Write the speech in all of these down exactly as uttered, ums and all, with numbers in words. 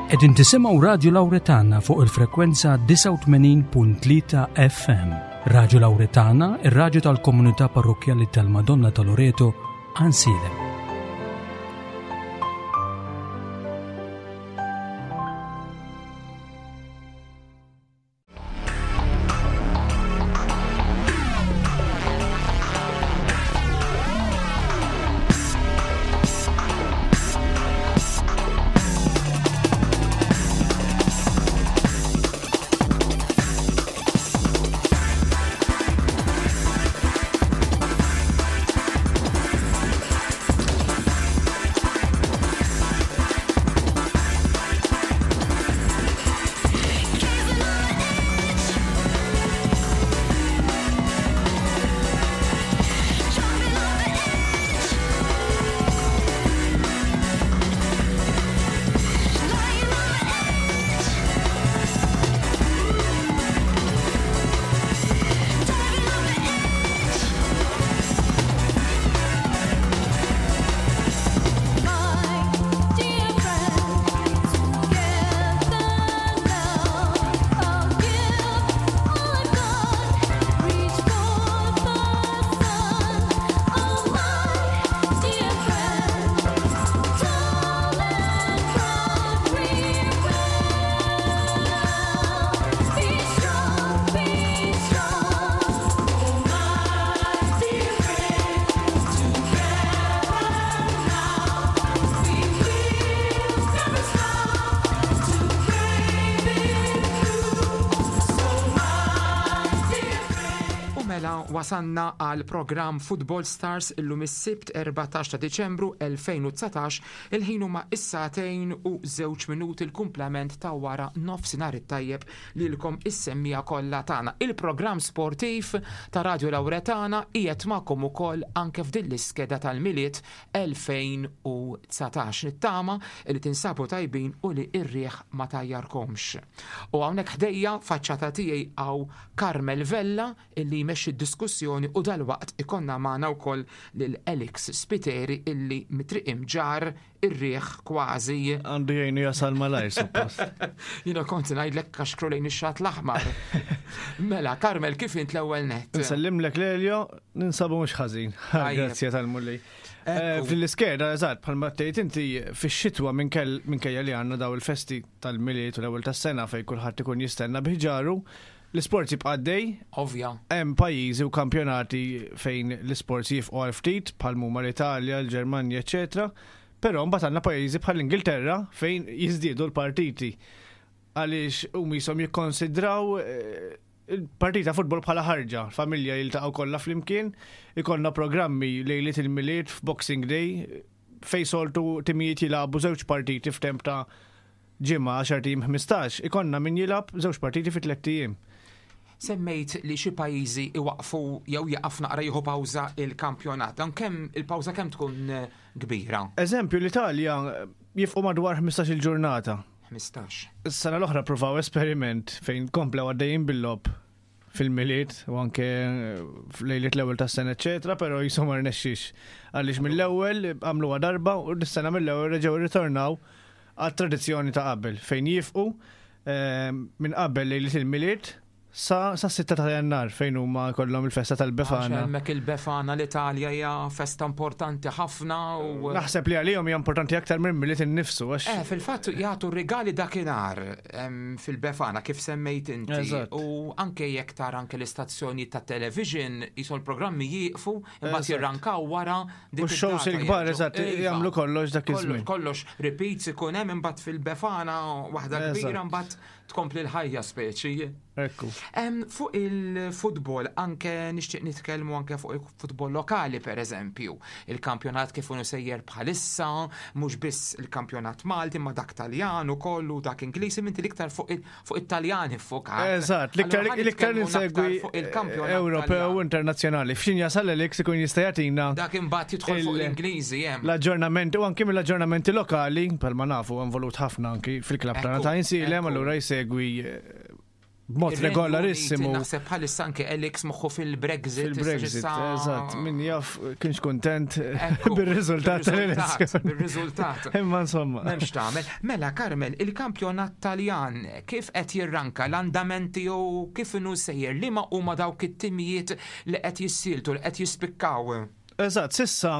Qegħdin tisimgħu Radio Lauretana fuq il-frekwenza disgħa u tmenin punt tlieta F M. Radio Lauretana, ir-raġu tal-komunità parrokkjali tal-Madonna ta' Loreto, Għajnsielem. U mela wasanna għal program Football Stars illum is-Sibt erbatax ta' Diċembru elfejn u dsatax, il-ħin huma is-sagħtejn u żewġ minuti, il-kumplament ta' wara nofsinhar it-tajjeb lilkom is-semmiegħa kollha tagħna. Il-programm sportiv ta' Radio Lauretana qiegħed magħkom ukoll anke f'din l-iskeda tal-Milied elfejn u dsatax. Nittama li tinsabu tajbin u li r-riħ ma tajjarkomx. U hawnhekk ħdejja, faċċata tiegħi, hawn Carmel Vella illi jmexxi d-diskussjoni u dalwaqt ikollna magħna wkoll lil Alex Spiteri illi mit-Triq Imġarr ir-riħ kważi. Għandu jgħinu jasal malajr, suppost. Jiena kont ngħidlek kaxkru lejn ix-xatt l-aħmar. Mela, Carmel, kif int l-ewwel net? Nsellimlek Lelio, ninsabu mhux ħażin. Tajjeb. Grazie tal-Mulej. Ekku. Fil-iskeda, eżatt, bħalma tgħid inti, fix-xitwa minkejja li għandna daw il-festi tal-Milied u l-ewwel tas-sena fejn kulħadd ikun jistenna bi ħġaru, l-isport jibqa' għaddej. Ovvja. Hemm pajjiżi u kampjonati fejn l-isports jieqfu għal ftit, bħal huma l-Italja, l-Ġermanja, eċetera. Però mbagħad għandna pajjiżi bħal l-Ingilterra fejn jiżdiedu l-partiti. Għaliex hum jisom jikkonsidraw eh, il-partita futbol bħala ħarġa, familja jiltaqgħu kollha flimkien, ikollna programmi lejliet il-Milied, f'Boxing Day, fej soltu timijiet jilagħbu żewġ partiti f'temp ta' ġimgħa, għaxart ijiem, ħmistax, ikollna min jilgħab żewġ partiti fi tlett ijiem. Semmejt li xi pajjiżi iwaqfu jew jaqaf naqra, jieħu pawża il-kampjonat. Dan kemm il-pawża kemm tkun eh, kbira? Eżempju, l-Italja jieqfu madwar ħmistax il-ġurnata. ħmistax. Is-sena l-oħra provaw esperiment fejn komplew għaddejjin bil-logħob fil-Milied u anke f'lejliet l-ewwel tas-sena, eċetera, però jisom ma rnexxix. Għaliex mill-ewwel għamluha darba u dis-sena mill-ewwel reġgħu ritornaw għat-tradizzjoni ta' qabel fejn jieqfu eh, minn qabel lejliet il-Milied sa sa sitta ta' Jannar fejn huma kollhom il-festa Għax tal-Befana. hemmhekk il-Befana l-Italja hija festa importanti ħafna u Naħseb li għalihom hija importanti aktar minn Milied innifsu għax Eh, fil-fatt jagħtu rigali dakinhar em, fil-Befana kif semmejt inti. Eżatt. U anke jekk tara anke l-istazzjoni ta' television jisu l-programmi jieqfu imbagħad Eżatt. jirrankaw wara dik U x-shows id-data il-kbar, jerġgħu. eżatt, Iva. jagħmlu kollox dak Kollox, iż-żmien. kollox repeats ikun hemm imbagħad fil-Befana waħda kbira Eżatt. mbagħad tkompli l-ħajja speċi. Ekku. Em, fuq il-futbol, anke nixtieq nitkellmu anke fuq il-futbol lokali, per eżempju. Il-kampjonat kif hu sejjer bħalissa, mhux biss il-kampjonat Malti, ma dak Taljan ukoll u dak Ingliż, inti l-iktar fuq il- fuq it-Taljan iffokat. Eżatt, l-iktar Allura ħa l-iktar nitkellmu aktar insegwi fuq il-kampjonat Ewropew Taljan. internazzjonali. F'xin jasal Alex ikun jista' jagħtina Dak imbagħad jidħol fuq il- l-Ingliżi hemm. l-aġġornamenti u anki mill-aġġornamenti lokali, palma nafu involut ħafna anki fil-klab tagħna Ekku, ta' Għajnsielem, ekku. allura jsegwi eh, b'mod regolarissimu. Naħseb bħalissa anke Alex moħħu fil-Brexit. Fil-Brexit, eżatt, min jaf kienx kontent Ekku, bir-riżultat tal-elezzjoni. Bir-riżultat. Imma insomma. M'hemmx tagħmel. Mela Carmel, il-kampjonat Taljan kif qed jirranka l-andamenti jew kif inhu sejjer li ma huma dawk it-timijiet li qed jissieltu li qed jispikkaw. Eżatt, s'issa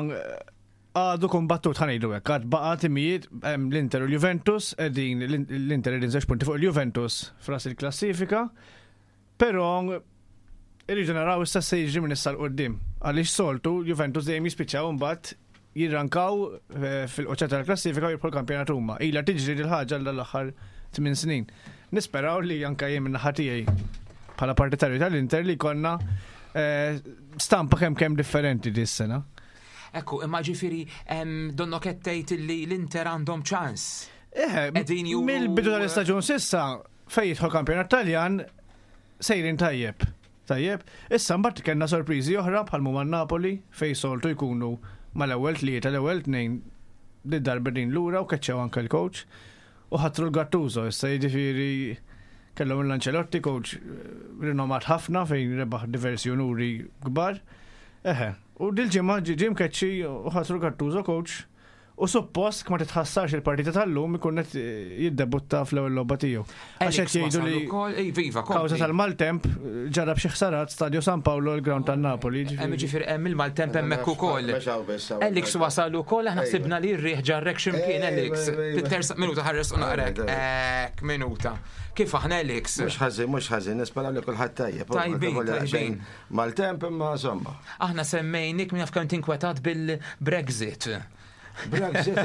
għadu kombattut, ħa ngħidu hekk, għad baqa timijiet hemm l-Inter u l-Juventus, qegħdin l-Inter qegħdin żewġ punti fuq il-Juventus f'ras il-klassifika, però irridu naraw issa se jiġri minn issa 'l quddiem. Għaliex soltu Juventus dejjem jispiċċaw imbagħad jirrankaw eh, fil-qoċċata tal-klassifika u jirbħu l-kampjonat huma. Ilha tiġri dil-ħaġa l-aħħar tmien snin. Nisperaw li anka jien minn naħa tiegħi bħala partitarju tal-Inter li konna eh, stampa kemm kemm differenti dis-sena. Ekku, imma ġifieri em, donno kettejt li l-Inter għandhom ċans. Eh, Qegħdin juru- mill-bidu tal-istaġun s'issa fejn jidħol kampjonat Taljan sejrin tajjeb. Tajjeb, issa mbagħad kellna sorpriżi oħra bħal huma Napoli fejn soltu jkunu mal-ewwel tlieta l-ewwel tnejn li darba din lura u keċċew anke l-coach u ħatru l-Gattuso issa jiġifieri kellhom l-Ancelotti coach eh, rinomat ħafna fejn rebaħ diversi unuri kbar. Eħe, u dil-ġimgħa ġie ġie mkeċċi u ħatru Gattuso coach u suppost ma titħassarx il-partita tal-lum ikun qed jiddebutta fl-ewwel logħba tiegħu. Għax qed jgħidu li Ej, viva, kawża kompli. tal-maltemp ġarab xi ħsarat Stadio San Paolo l-ground tan-Napoli. Hemm ġifieri. ġifieri hemm il-maltemp hemmhekk ukoll. Alex wasal ukoll aħna ħsibna li r-riħ ġarrek x'imkien Ejwa, Alex. ejwa, ejwa. Titersa minuta ħares u naqrek. Ek minuta. Kif aħna Alex? Mhux ħażin, mhux ħażin, nispera li kulħadd tajjeb. Tajbin, tajbin. Maltemp imma insomma. Aħna semmejnik minn jaf kemm tinkwetat bil-Brexit. Brexit.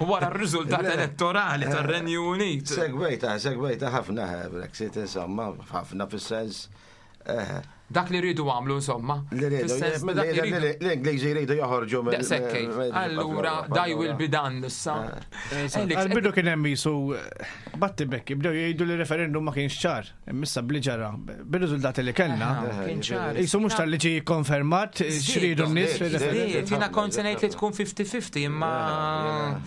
Wara r-riżultat Le. elettorali tar-Renju Unit. Segwejta, segwejta ħafna eh, Brexit, insomma, ħafna fis-sens. eh, Dak li rridu għamlu insomma. Li rridu, Fis-sens dak li rridu. l-Ingliżi jridu joħorġu mill. Daqshekk. mill- Allura, thy will be done issa. Alex, Għal-bidu kien hemm jisu batti bekki, bdew jgħidu li referendum ma kienx ċar, issa bli ġara, bir-riżultati li kellna. Aha, kien ċar. Jisu mhux tal-li ġie konfermat x'ridu n-nies Żdied, fir-referendum. Żdied, jiena kont se ngħid li tkun fifty fifty imma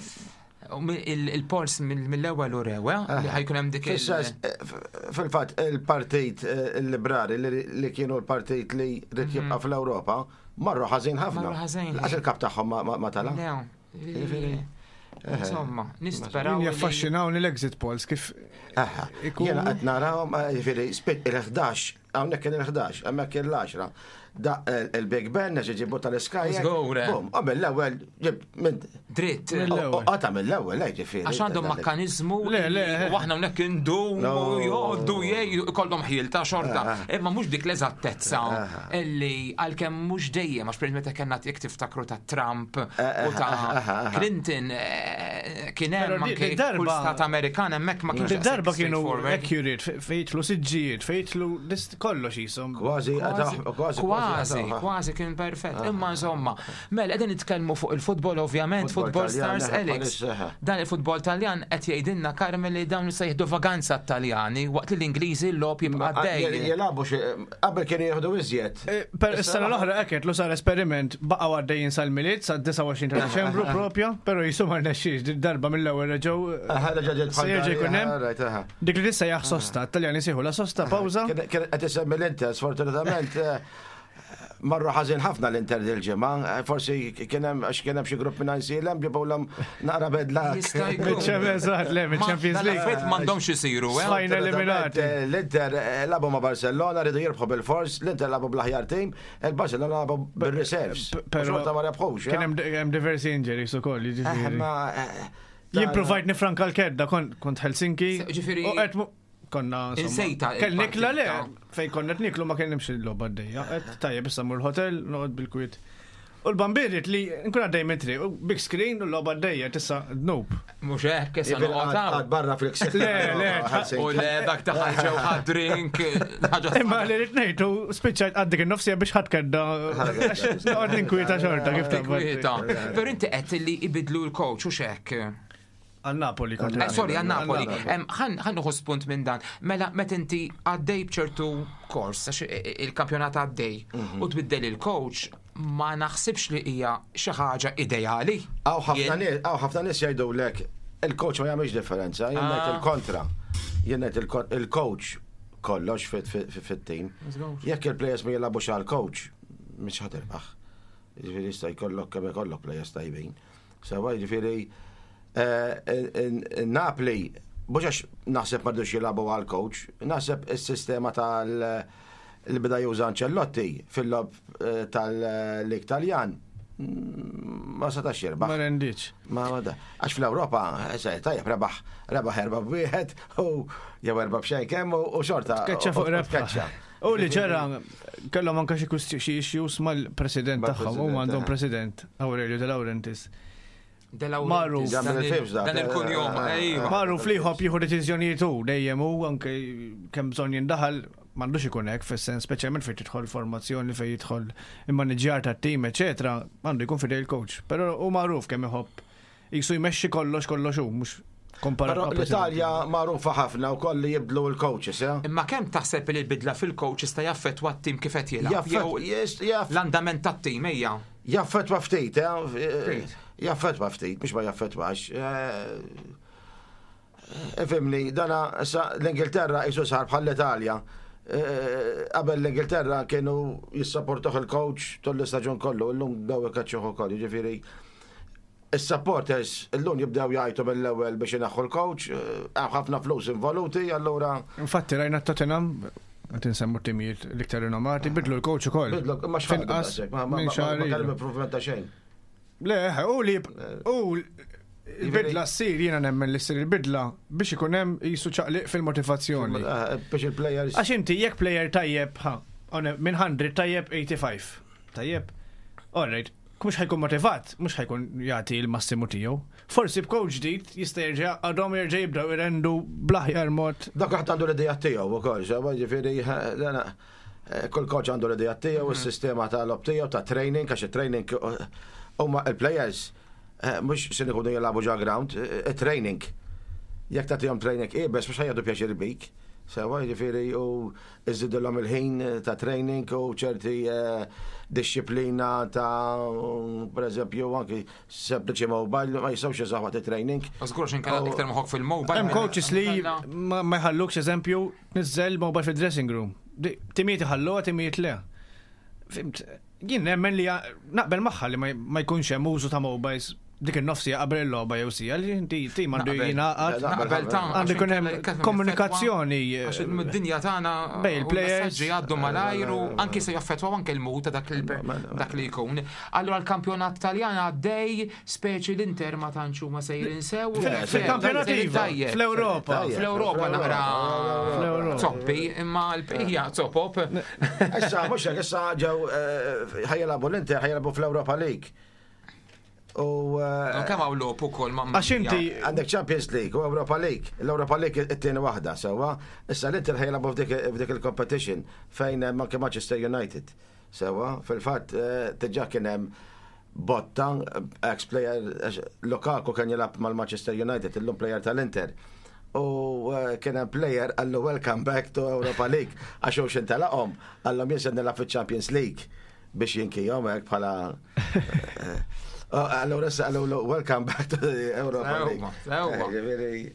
u mi- il- il-polls mill-ewwel u rew, eh, li ħa jkun hemm dik il- Fis-sens, eh, f- Fil-fatt, il-partit eh, il-liberali li li kienu l-partit li rrid jibqa' fl-Ewropa, marru ħażin ħafna. Marru ħażin. Lanqas il-kap tagħhom ma- ma ma tala. Le, Insomma, nisperaw. Jien li- jaffaxxinawni l-exit polls kif Aha, Ikunu- Jiena qed narahom, eh, jiġifieri spit il-ħdax, hawnhekk kien il-ħdax, hemmhekk kien l-għaxra. Da il-Big Ben għax iġibu tal-Sky. Żgur, eh. Bum, u mill-ewwel ġib minn Dritt. Mill-ewwel. Qata mill-ewwel, eh, ġifieri. Għax għandhom makkanizmu Le, le. u aħna hawnhekk indumu No. jgħoddu jgħidu kollhom ħil ta' xorta. Imma mhux dik l-eżattezza illi għalkemm mhux dejjem għax per meta kellna jekk tiftakru ta' Trump u ta' Clinton eh, kien Però hemm di- anke di darba- kull stat Amerikan hemmhekk ma kienx Di darba daqshekk kienu straightforward. accurate, fe- fejtlu siġġijiet, fejtlu list kollox jisom. Kważi, Kważi, kważi, kważi, kważi kien perfett. Imma insomma, mela qegħdin nitkellmu fuq il-futbol ovvjament, Futbol Football Taljan, Stars eh, Alex. bħalissa, eh. Dan il-futbol Taljan qed jgħidilna Carmel li dawn se jieħdu vaganza Taljani waqt li l-Ingliżi l-logħob jibqa' għaddej. Jilagħbu xi qabel kienu jieħdu iżjed. Eh, Per is-sena l-oħra hekk lu sar esperiment baqgħu għaddejjin sal-Milied sa disgħa u għoxrin ta' Deċembru propja, però jisu ma rnexxiex di darba mill-ewwel reġgħu Aha, reġa' ġiet se jerġa' jkun hemm. Right, aha. Dik li tissejjaħ sosta, Taljani sejħu la sosta pawża. Kien kien qed isemmi l-Inter, sfortunatament eh, marru ħażin ħafna l-Inter dil-ġimgħa, eh, forsi kien hemm għax kien hemm xi grupp minn Għajnsielem ġibulhom naqra bedla. Jista' jkun. Mill-Champions le, mill-Champions League. Dal-affarijiet m'għandhomx isiru, eh? Sfajna eliminati. Eh, L-Inter eh, lagħbu ma' Barcellona, rridu jirbħu bil-fors, l-Inter lagħbu bl-aħjar team, il-Barcellona lagħbu bil-reserves. P- Però Xorta ma rebħux. Kien hemm hemm diversi injuries ukoll, Eh, jiġifieri. ma, eh, Jien provajt nifranka l-kedda, kont kont Helsinki. Se- ġifieri- U qed mu- konna insomma, Insejta Kell nikla le, il-partita. fej konna qed niklu ma kien nimxi l-logħba għaddejja. Qed tajjeb issa mmur l-hotel, noqgħod bil-kwiet. U l-bambiriet li nkun għaddej minn triq, u big screen u l-logħba għaddejja tissa dnub. Mhux hekk issa Jiġifieri noqgħod għad hawn. barra fil-ksib. Le, le, U le dak ta' ġew ħad drink, ħaġa Imma li rrid ngħidu spiċċajt għaddik in-nofsija biex ħadd kedda. Noqgħod ninkwieta xorta kif Kwieta. taqbad. Però inti qed li ibidlu l-coach u xek. Għal Napoli kont. Eh, sorry, għal Napoli. Għal Em, Ħan ħan nieħu spunt minn dan. Mela, meta inti għaddej bċertu kors, għax il-kampjonat għaddej, u tbiddel il-coach, ma naħsibx li hija xi ħaġa ideali. Hawn ħafna Jien- nies, hawn ħafna nies jgħidulek il-coach ma jagħmilx differenza, jien ngħid Ah. il-kontra. Jien ngħid il-coach kollox fit-tim. Jekk il-players ma jilagħbux għal coach, mhux ħa tirbaħ. Jiġifieri jista' jkollok kemm ikollok players tajbin. Sewwa jiġifieri eh, Napli mhux għax naħseb m'għadux jilagħbu għal coach, naħseb is-sistema tal li beda juża Ancelotti fil-logħob eh, tal-Lig Taljan mm, ma setax jirbaħ. Ma rendiċ. Ma ma da. Għax fl-Ewropa, eh, tajjeb, rebaħ, rebaħ erba b'wieħed u jew erba b'xejn kemm u u xorta. Tkeċċa fuq u- u rebħa. tkeċċa. U li ġara, kellhom anka xi kwistju- xi issues mal-president tagħhom, huma Mal-president, għandhom eh. president Aurelio De Laurentiis. De Laurentiis, Magħruf. dan Dan il- il-films dak, Dan il-kunjom, eh, ejwa. Magħruf li jħobb jieħu deċiżjonijiet hu dejjem hu anke kemm bżonn jindaħal m'għandux ikun hekk fis-sens speċjalment fejn tidħol formazzjoni fejn jidħol immaniġġjar tat-tim, eċetera, għandu jkun fidej il-coach. Però hu magħruf kemm iħobb jisu jmexxi kollox kollox hu, mhux komparat Però ma' president. l-Italja magħrufa ħafna u koll li jibdlu l-coaches, eh? Imma kemm taħseb li l-bidla fil-coach jista' jaffettwa t-tim kif qed jilgħab? Jaffet, Jew yes, jaff- l-andament tat-tim ejja. jaffetwa ftit, eh? Ftit. Jaffetwa ftit, mhux ma jaffetwax. Eh, Ifhimni, dana issa l-Ingilterra jisu sar bħal l-Italja. Eh, Qabel l-Ingilterra kienu jissapportuh il-coach tul l-istaġun kollu, illum bdew ikaċċuh ukoll, jiġifieri Is-supporters illum jibdew jgħajtu mill-ewwel biex inaħħu l-coach, eh, hemm ħafna flus involuti, allura Infatti rajna Tottenham, qed insemmu timijiet l-iktar rinomati, bidlu l-coach ukoll. bidlu ma x'ħadu Finqas daqshekk, ma ma minn ma xahar ma ilu. kellhom improvement ta' xejn. Le, u li u il-bidla ssir jiena nemmen li ssir il-bidla biex ikun hemm jisu ċaqliq fil-motivazzjoni. Eh, Biex il-players Għax inti jekk player tajjeb, ha, one- minn mija tajjeb tminja u sebgħin. Tajjeb. All right. Mhux ħa jkun motivat, mhux ħa jkun jagħti l-massimu tiegħu. Forsi b'coach ġdid jista' jerġa' għadhom jerġa' jibdew irendu bl-aħjar mod. Dak waħed għandu l-idea tiegħu wkoll, sewwa ġifieri eh, dana, eh, kull coach għandu l-idea tiegħu, is-sistema tal-logħob tiegħu ta' training, għax it-training eh, huma il-players eh, mhux se ikunu jilagħbu ġo ground, eh, training. Jekk tagħtihom training iebes mhux ħa jieħdu pjaċir bik. Sewwa ġifieri u iżidilhom il-ħin ta' training u ċerti eh, disċiplina ta' per eżempju anki sempliċi mobile ma jistgħux jużaw waqt it-training. Żgur x'inkella Oh. iktar moħħok fil-mobile. Hemm coaches li ma ma jħallukx eżempju niżel mobile fil-dressing room. Di- Timijiet iħalluha, timijiet le. Fhimt, jien nemmen li naqbel magħha li ma ma jkunx hemm użu ta' mobiles dik in-nofsija qabel il-logħba jew sija li inti tim għandu Naqbel. jingħaqad. Naqbel ta' Għandu jkun hemm komunikazzjoni Għax id-dinja tagħna Bej il-players. messaġġi jgħaddu malajru anki se jaffettwaw anke l-mod ta' dak il- dak li jkun. Allura l-kampjonat Taljan għaddej speċi l-Inter ma tantx huma sejrin sew. Fil-kampjonat Sejrin iva, tajjeb. fl-Ewropa. Tajjeb. Fl-Ewropa naqra Fl-Ewropa. zoppi, imma l-bqija zopop. Issa, mhux hekk, issa ġew eh, ħa jilagħbu l-Inter, ħa jilagħbu fl-Europa League. U eh, Kemm hawn logħob ukoll ma' Għax inti għandek Champions League u Europa League. L-Europa League it-tieni waħda sewwa. Issa l-Inter ħa jilagħbu f'dik f'dik il-competition fejn hemm anke Manchester United. Sewwa, fil-fatt eh, diġà kien hemm botta ex-player eh, Lukaku kien jilgħab mal-Manchester United, illum player tal-Inter. U eh, kien hemm player qallu welcome back to Europa League għax hu x'intelaqhom qallhom jien se nilgħab fiċ-Champions League biex jinkijhom hekk bħala eh, oh, Allura issa qallu welcome back to the Europa Sewwa, League. sewwa. Eh, ġifieri,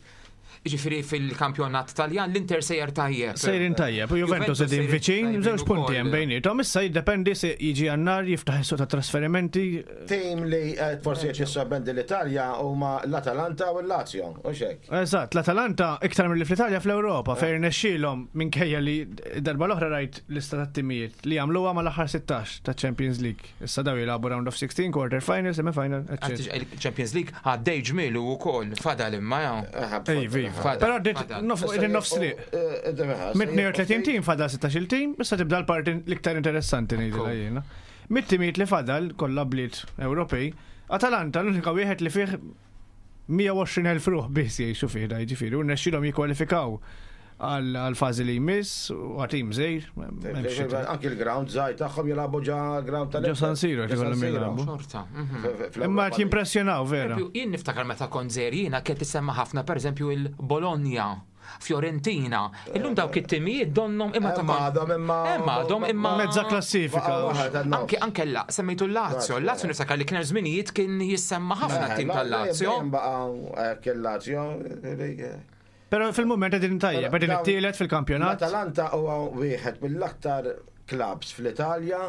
Ġifieri fil-kampjonat Taljan l-Inter sejjer tajjeb. Sejrin tajjeb, u Juventus qegħdin sejrin viċin, tajbin żewġ punti ukoll. hemm bejniethom. Issa jiddependi se jiġi Jannar jiftaħ is-suq ta' trasferimenti. Tim li eh, forsi qed jissorprendi l-Italja huma l-Atalanta u l-Lazio, u xek. Eżatt, l-Atalanta iktar mill fl-Italja fl-Ewropa fejn rnexxielhom minkejja li darba l-oħra rajt lista ta' timijiet li jagħmluha mal-aħħar sittax ta' Champions League. Issa daw jilagħbu round of sixteen, quarter final, semi final, eċċetera. Champions League għaddej ġmielu wkoll fadal imma ja. Ej, viva. Fadal, Però dit fadal. nofs triq. Minn tnejn u tletin tim fadal sittax-il tim, issa tibda l-parti l-iktar interessanti ngħidilha jiena. Mit-timijiet li fadal kollha bliet Ewropej, Atalanta l-unika wieħed li fih mija u għoxrin elf ruħ biss jgħixu fih da jiġifieri u rnexxielhom jikkwalifikaw għal fażi li jmiss u għatim żgħir. M'hemmx xi tgħid. Anki l-ground żgħir tagħhom jilagħbu ġo ground tal Ġo San Siro qed ikollhom jilagħbu. Xorta. mhm. Imma qed jimpressjonaw vera. Eżempju, jien niftakar meta kont żgħir jiena kien tisemma ħafna pereżempju il-Bologna, Fiorentina. Illum dawk it-timijiet donnhom imma ta' Imma għadhom imma. Imma għadhom imma Mezza klassifika. Anke anke la, semmejtu l-Lazio, l-Lazio niftakar li kien hemm żminijiet kien jissemma ħafna t-tim tal-Lazio. Baqa' il-Lazio. Però fil-moment qegħdin tajjeb, qegħdin it-tielet fil-kampjonat. L-Atalanta huwa wieħed mill-aktar clubs fl-Italja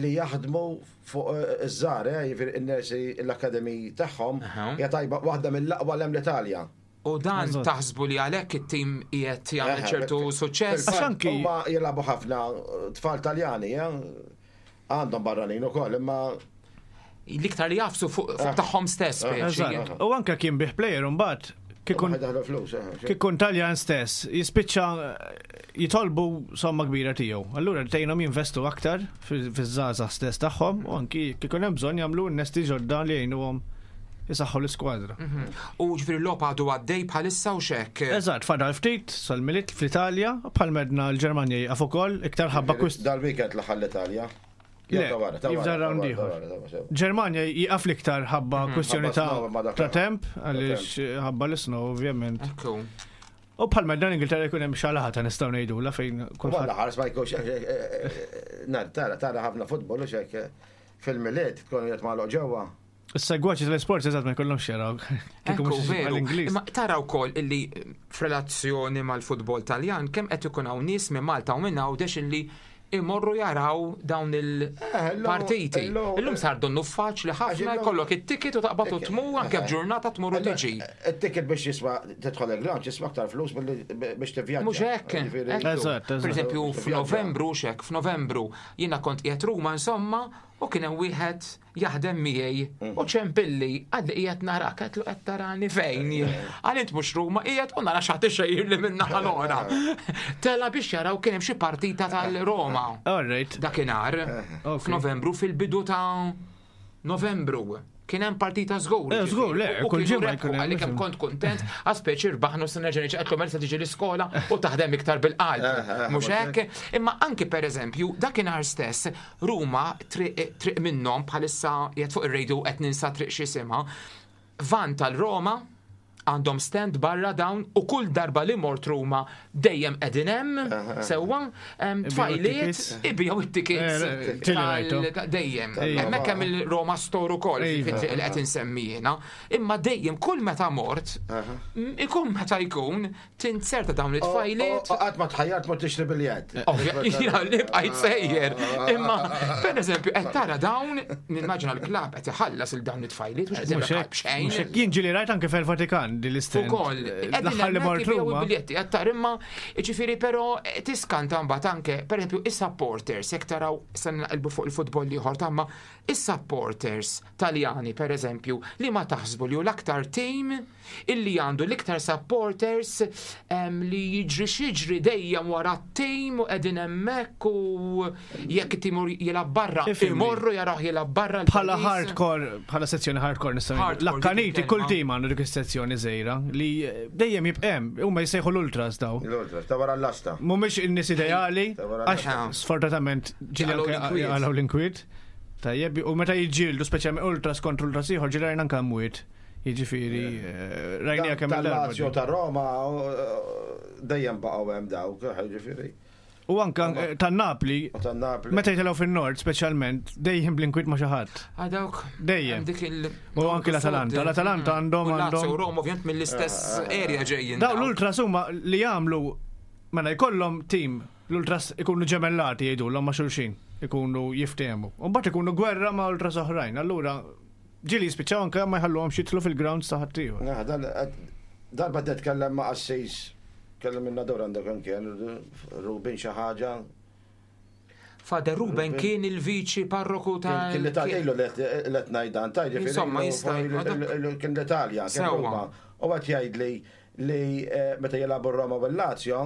li jaħdmu fuq eh, iż-żgħar, eh, jiġifieri in-nursery l-akademi tagħhom hija tajba waħda mill-aqwa hemm l-Italja. U dan taħsbu li għalhekk it-tim qiegħed jagħmel ċertu suċċess? Għax anki- Huma jilagħbu ħafna tfal Taljani, eh, għandhom barranin ukoll, imma L-iktar li jagħfsu fuq fuq tagħhom stess, speċi. Eżatt. U anke kien bih player mbagħad kikun daħlu flus. eh, kikun Taljan stess jispiċċa eh, jitolbu somma kbira tiegħu. Allura tgħinhom jinvestu aktar fiż-żgħażagħ stess tagħhom u anki kikun hemm bżonn jagħmlu innesti ġodda li jgħinuhom jisaħħu l-iskwadra. Mhm. U ġifieri l-logħba għadu għaddej bħalissa u xek. Eżatt, fadal ftit sal-Milied fl-Italja, bħal medna l-Ġermanja jieqaf ukoll iktar ħabba kwist. Dal-weekend l-aħħar l-Italja. Le, jibda round ieħor. Ġermanja jieqaf l-iktar ħabba kwistjoni Ħabba snow, ma ta' dak- ta' temp, għaliex ħabba l-snow ovvjament. Ekku. U bħal medna l-Ingilterra jkun hemm xalaħata nistgħu ngħidula fejn Walla kulħadd. ħares ma jkunx nar tara tara ħafna futbol u xek fil-Milied tkun qed magħluq ġewwa. Is-segwaċi tal-isport eżatt ma jkollhomx jaraw. Kieku Ekku, mhux veru. l-Ingliż. Imma tara wkoll illi f'relazzjoni mal-futbol Taljan kemm qed ikun hawn nies minn Malta u minn Għawdex illi imorru jaraw dawn il-partiti. illum- Illum sar donnu faċli ħafna illum- jkollok it-ticket u taqbad u tmur anke f'ġurnata tmur u tiġi. It-ticket biex jiswa tidħol il-ground jiswa aktar flus milli biex tivvjaġġa. Mhux hekk. Jiġifieri- ekku. Eżatt, eżatt. Per eżempju, Biex f'Novembru xek, f'Novembru jiena kont qiegħed Ruma insomma u kien hemm wieħed jaħdem miegħi u ċempilli għalli qiegħed narak qed qed tarani fejn. Għal int mhux Ruma qiegħed u nara x'ħadd ixejjir li minn naħa l-oħra. Tela biex jaraw kien hemm xi partita tal-Roma. All right. Dakinhar Ok. f'Novembru fil-bidu ta' Novembru. Kien hemm partita żgur. Eh, żgur, le, U kull kienu ġimgħa rebħu, jkun hemm, għalli kemm ifhem. kont kontent, għaspeċi rbaħnu s nerġa' niġi għedtlu mela se tiġi l-iskola u taħdem iktar bil-qalb. Mhux hekk? Imma anki pereżempju, dakinhar stess, Ruma triq triq minnhom bħalissa qiegħed fuq ir-radio qed ninsa triq x'isimha, van tal-Roma għandhom stand barra dawn u kull darba li mort Ruma dejjem qegħdin hemm sewwa em, Ibiegħu tfajliet it-tickets. ibiegħu it-tickets Eh, eh, ġieli rajtu. tal- dejjem. Ejja. Hemmhekk hemm il-Roma Store ukoll Iva. fit-triq li qed insemmi jiena. Imma dejjem kull meta mort, m- ikun meta jkun tinzerta dawn it-tfajliet. U qatt ma tħajjart ma tixtri biljett. Ovvja, jiena li bqajt sejjer. Imma, per eżempju, qed tara dawn, nimmaġina l-klabb qed iħallas il dawn it-tfajliet mhux qed Mhux jagħmel hekk, b'xejn. mhux hekk. Jien ġieli rajt anke fil-Vatikan din l-istand. Ukoll, L-aħħar li mort Ruma. biljetti qed tara imma ġifieri però eh, tiskanta mbagħad anke, pereżempju, is-supporters, jekk taraw se naqilbu fuq il-futbol ieħor tamma, is-supporters Taljani pereżempju li ma taħsbu li hu l-aktar team illi għandu l-iktar supporters em, li jiġri xiġri dejjem wara t-team u qegħdin hemmhekk u jekk it-team jilgħab barra Ifhimni. imorru jaraw jilgħab barra Bħala l-pajjiż. hardcore, bħala sezzjoni hardcore nistgħu ngħidu. Hardcore, dik L-akkaniti il-kelma. kull tim għandu dik is-sezzjoni żgħira li dejjem jibqem, huma jsejħu l-ultras daw. L-ultras, ta' wara l-lasta. Mhumiex in-nies ideali, Ta' wara għax l-lasta. sfortunatament ġieli Jaqalgħu anke l-inkwiet. jaqalgħu l-inkwiet. Tajjeb, u meta jiġġieldu speċjalment ultras kontra ultras ieħor ġieli rajna anke mwiet. Jiġifieri, eh, rajnija kemm il-darba. Tal-Lazio ta' Roma eh, dejjem baqgħu hemm dawk, ġifieri. U anke eh, tan-Napli, U tan-Napli. meta jitilgħu fin-nord speċjalment, dejjem bl-inkwiet ma' xi ħadd. Ah, dawk. Dejjem. Hemm Dik il- U anke l-Atalanta. L-Atalanta għandhom U Lazio għandhom u Roma ovvjament mill-istess area ġejjin. Daw l-ultras huma li jagħmlu mela jkollhom tim l-ultras ikunu ġemellati jgħidulhom ma' xulxin, ikunu jiftehmu. U mbagħad ikunu gwerra ma' ultras oħrajn. Allura ġieli jispiċċaw anke ma jħalluhomx jidħlu fil-grounds ta' ħaddieħor. Nah, dan- Darba titkellem ma' qassis, kellem minna dur għandek kien, Rubin xi ħaġa. Fader Ruben kien il-viċi parroku ta' Kien l-Italja, ilu li qed ngħidan, ta' ġifieri Insomma, ilu- jista' ilu- ilu- Kien l-Italja, kien Sewwa. Ruma. U għat jgħid li li eh, meta jilagħbu Roma u l-Lazio,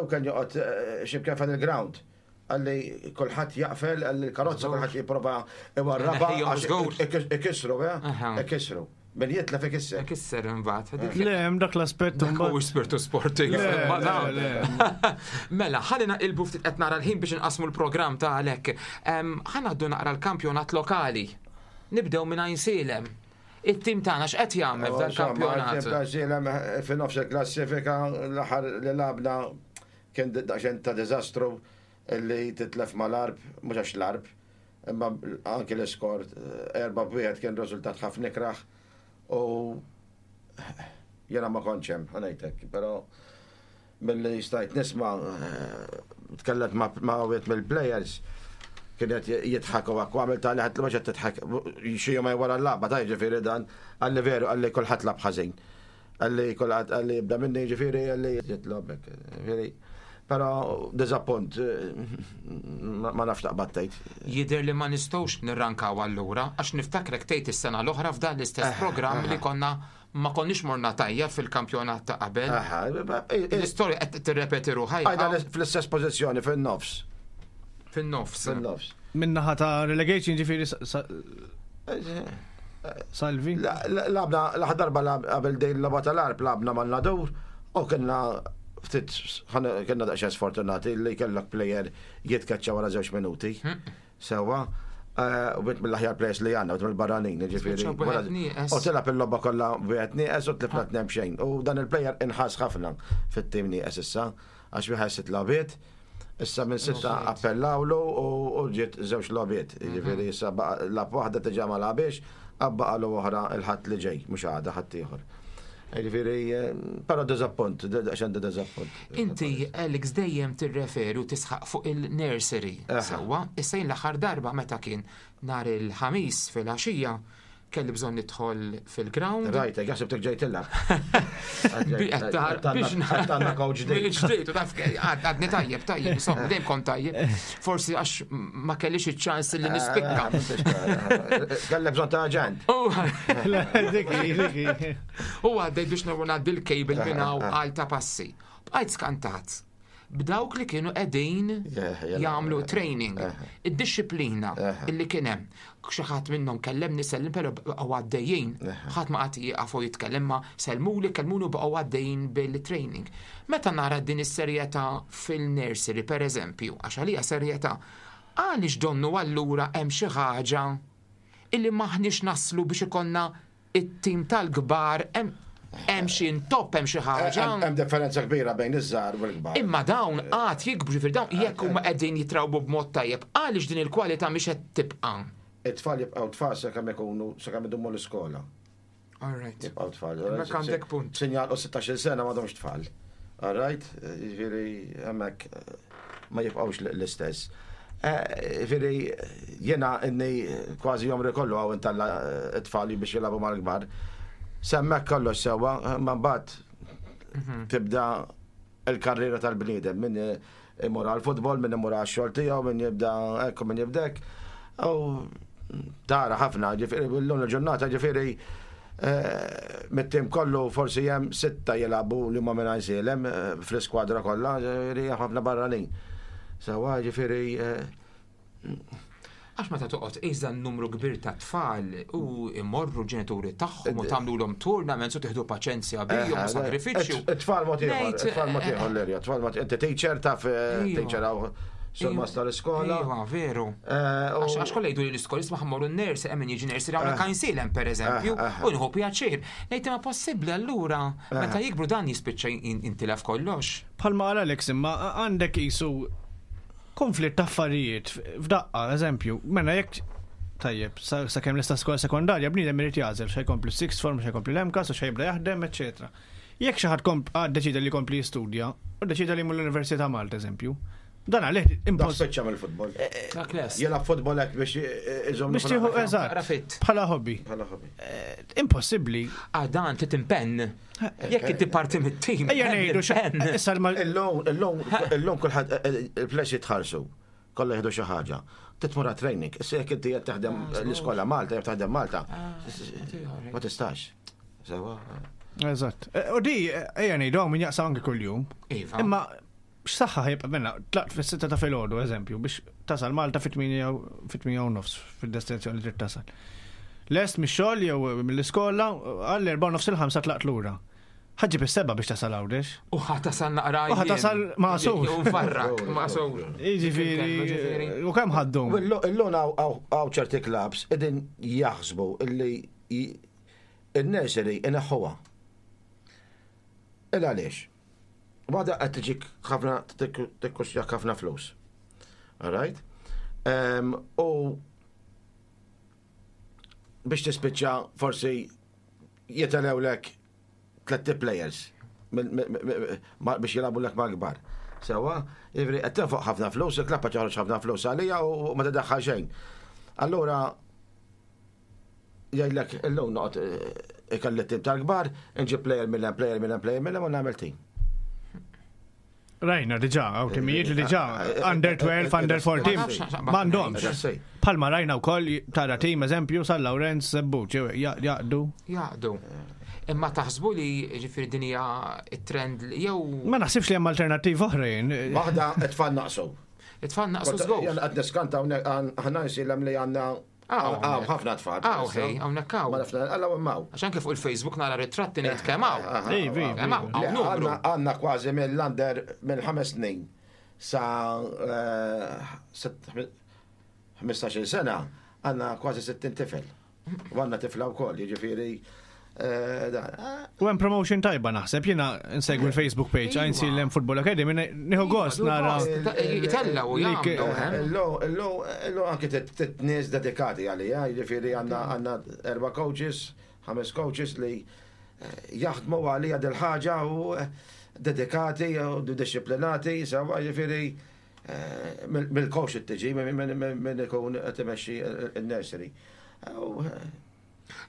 u kien joqgħod eh, x'imkien fan il-ground. Għalli kulħadd jaqfel, għalli l-karozza kulħadd jipprova iwarraba Neħħihom għax żgur. ik- ikissru, eh? Aha. Ikissru. Min jitlef ikisser. Kisser imbagħad. Dik Le, hemm dak l-aspett Dak imbagħad. huwa spiritu sportiv. Le, Ma le, dawn. le. Mela, ħalli naqilbu ftit qed nara l-ħin biex inqasmu l-programm ta' għalhekk. Em, Ħa ngħaddu naqra l-kampjonat lokali. Nibdew minn Għajnsielem. It-tim tagħna x'qed jagħmel f'dan il-kampjonat? Fi nofs il-klassifika l-aħħar li labna kien daqsxejn ta' diżastru li titlef mal-Għarb, mhux għax l-Għarb, imma anki l-iskor erba' b'wieħed kien riżultat ħafna ikraħ u Jena ma kontx hemm, ħa ngħidlek, però milli stajt nisma', eh, tkellimt ma' ma' wieħed mill-players, kienet jidħak u għak, għamil ta' li ħadd li tidħak xi jum wara l-lagħba ta' ġifieri dan, qalli veru, qalli kulħadd lagħab ħażin. Qalli kulħadd, qalli jibda minni ġifieri, qalli jitlobek. Ġifieri, però diżappunt, eh, ma ma nafx taqbad tgħid. Jidher li ma nistgħux nirrankaw allura, għax niftakrek tgħid is-sena l-oħra f'dan l-istess programm li konna ma konniex morna tajjeb fil-kampjonat ta' qabel. Aha, L-istorja qed tirrepeti ruħha Għajda fl-istess pożizzjoni fin-nofs. fin-nofs. Fin-nofs. Minnaħa ta' relegation ġifieri sa- sa- Salvi. La- la- Lgħabna, l-aħħar darba lagħab- qabel dejn logħba tal-Għarb lgħabna ma' Nadur u kienna ftit ħana- kienna daqsxejn sfortunati li kellek player jitkaċċa wara żewġ minuti. Sewwa. Eh, U wieħed mill-aħjar players li għandna, u mill-barranin, ġifieri. Spiċċaw b'wieħed wara- nieqes. U tilgħab il-logħba kollha wieħed nieqes u tlifna tnejn b'xejn. U dan il-player inħass ħafna fit-tim nieqes issa, għax wieħed sitt logħbiet. Issa minn sitta Logħbiet. appellawlu u u ġiet żewġ logħbiet. Ġifieri issa baqa' lagħab waħda diġà ma lagħbiex, baqagħlu oħra il-Ħadd li ġej, mhux għada ħadd ieħor. Ġifieri, eh, però diżappunt, daqsxejn diżappunt. Inti, Alex, dejjem tirreferi u tisħaq fuq il-nursery. Aha. Sewwa, issa jien l-aħħar darba meta kien nhar il-Ħamis fil-għaxija kelli bżonn nidħol fil-ground. Rajt, jaħseb ġejt tilgħab. Biex biex Għandna coach ġdid. Ġdid, u taf, għadni tajjeb, tajjeb, insomma, dejjem kont tajjeb. Forsi għax ma kellix iċ-ċans li nispikka. Kellek bżonn ta' aġent. U Dik hi, dik hi. U għaddej biex ngħaddi l-cable minn hawn għal ta' passi. Bqajt skantat. B'dawk li kienu qegħdin Yeah, yeah, jagħmlu yeah. training, id-disciplina illi kien hemm. Xi ħadd minnhom kellemni sellim però baqgħu għaddejjin. Ħadd ma qatt jieqaf u jitkellem ma sellmuli kellmuni u baqgħu għaddejjin bil-training. Meta nara din is-serjetà fil-nursery pereżempju, għax għalija serjetà, għaliex donnu allura hemm xi ħaġa illi maħniex naslu biex ikollna it-tim tal-kbar hemm hemm xi intopp hemm xi ħaġa. Hemm differenza kbira bejn iż-żgħar u l-kbar. Imma dawn għad jikbru ġifieri dawn jekk huma qegħdin jitrawbu b'mod tajjeb, għaliex din il-kwalità mhix qed tibqa'. It-tfal jibqgħu tfal sakemm ikunu sakemm idumu l-iskola. All right. Jibqgħu tfal. Hemmhekk għandek punt. Sinjal u sittax-il sena m'għadhomx tfal. All right? Ġifieri hemmhekk eh, ma jibqgħux l-istess. Eh, Ġifieri jiena inni kważi għomri kollu hawn intella' it-tfal biex jilagħbu mal-kbar. S'hemmhekk kollox sewwa, ma mbagħad tibda il-karriera tal-bniedem min imur għal-futbol, min imur għal-xogħol tiegħu, min jibda hekk u min jibda hekk. U tara ħafna, ġifieri llum il-ġurnata ġifieri eh, mit-tim kollu forsi hemm sitta jilagħbu li huma minn Għajnsielem eh, fl-iskwadra kollha, ġifieri ħafna barranin. Sewwa ġifieri eh, Għax meta toqgħod iżda n-numru kbir ta' tfal u imorru ġenituri tagħhom u tagħmluhom tournaments u tieħdu paċenzja bihom u sagrifiċċju. It-tfal mod ieħor, Ngħid, it-tfal mod ieħor l-erja, it-tfal mod inti teacher taf eh, Iva. teacher hawn surmast tal-iskola. Iva, veru. Eh, u- Għax għax kollha jgħidu li l-iskola isma' ħa mmorru n-nursery, hemm min jiġi nursery hawnhekk Għajnsielem pereżempju, Eh, eh. u nieħu pjaċir. Ngħid ma possibbli allura meta jikbru dan jispiċċa jintilef kollox. Bħalma qal Alex imma għandek isu konflitt ta' affarijiet f'daqqa, eżempju, mela jekk tajjeb, sa sa kemm lesta skola sekondarja, bniedem irid jagħżel x'ħa jkompli sixth form, x'ħa jkompli l-MCAST, u x'ħa jibda jaħdem, eċetera. Jekk xi ħadd komp għad deċida li jkompli jistudja, u deċida li jmur l-Università Malta, eżempju, dan għalih Dak impost spiċċa mill-futbol. Dak les. Jilgħab futbol hekk biex iżomm biex tieħu eżatt Rafit. bħala hobby. Bħala hobby. Eh, Impossibbli. Ah, dan trid impenn. Jekk inti parti mit-tim. Ejja ngħidu xa- impenn. issa l- Illum, illum, illum kulħadd il-players jitħallsu. Kollha jieħdu xi ħaġa. Titmur training. Issa jekk inti qed taħdem l-iskola Malta, jew taħdem Malta, ma tistax. Sewwa. Eżatt. Eh, U di, eh, ejja ngħidu hawn min jaqsam anke kuljum. Iva. Imma x'saħħa ħajbqa' minna, tlaqt fis-sitta ta' filgħodu, eżempju, biex tasal Malta fit-tmienja fit-tmienja u nofs fid-destinazzjoni li trid tasal. Lest mix-xogħol jew mill-iskola għall erba' u nofs il-ħamsa tlaqt lura. Ħa ġġib is-sebgħa biex tasal Għawdex. U ħa tasal naqra. U ħa tasal magħsur. U farrak, magħsur. Jiġifieri, u kemm ħaddum? Illum hawn ċerti clubs qegħdin jaħsbu illi il-nursery ineħħuha. Il għaliex? Waħda qed tiġik ħafna tikkostjak ħafna flus. All right? Um, u biex tispiċċa forsi jitilgħulek tliet players biex jilagħbu lek mal-kbar. Sewwa, jiġifieri qed tinfoq ħafna flus, il-klabb qed joħroġ ħafna flus għalija u ma tiddaħħal xejn. Allura jgħidlek illum noqgħod ikolli tim tal-kbar, nġib player mill player mill player mill u nagħmel tim. Rajna diġà, hawn timijiet li diġà under twelve, under fourteen, m'għandhomx. Palma rajna wkoll tara tim eżempju San Lawrenz Żebbuġ, jaqdu. Jaqdu. Imma taħsbu li ġifieri din hija it-trend jew. Ma naħsibx li hemm alternattiva oħrajn. Waħda it-tfal naqsu. It-tfal naqsu żgur. Jien qed niskanta aħna nsilem li għandna Hawn ħafna tfal. Hawn ħej, hawnhekk hawn. Ma nafna, alla hawn. Għax anke fuq il-Facebook nara ritratti ngħid kemm hawn. Kemm hawn, hawn numru. Għandna kważi mill-under minn ħames snin sa ħmistax-il sena għandna kważi sittin tifel. U għandna tifla wkoll, jiġifieri. U hemm promotion tajba naħseb, jiena nsegwi l-Facebook page, għajn Għajnsielem Football Academy, nieħu gost nara. Itella u jagħmlu. Illu illu anke nies dedikati għalija, jiġifieri għandna għandna erba' coaches, ħames coaches li jaħdmu għalija dil-ħaġa u dedikati u disciplinati, sewwa jiġifieri mill-coach tiġi minn ikun qed imexxi il-nursery.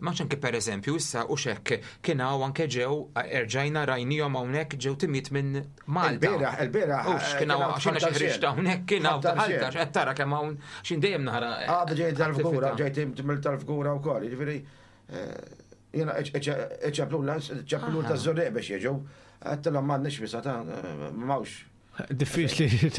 Ma anke per eżempju issa u xekk kien hawn anke ġew erġajna rajnihom hawnhekk ġew timiet minn Malta. Il-bieraħ, il-bieraħ. Ux kien hawn għax xi ħriġt hawnhekk kien hawn Malta qed tara kemm hawn x'in dejjem nara. Għadha ġej tal-Fgura, ġej mill tal-Fgura wkoll, jiġifieri jiena iċċeplula, ċeplul taż-Żurrieq biex jiġu, għedtilhom m'għandniex visa ta' m'hawnx. Diffiċli.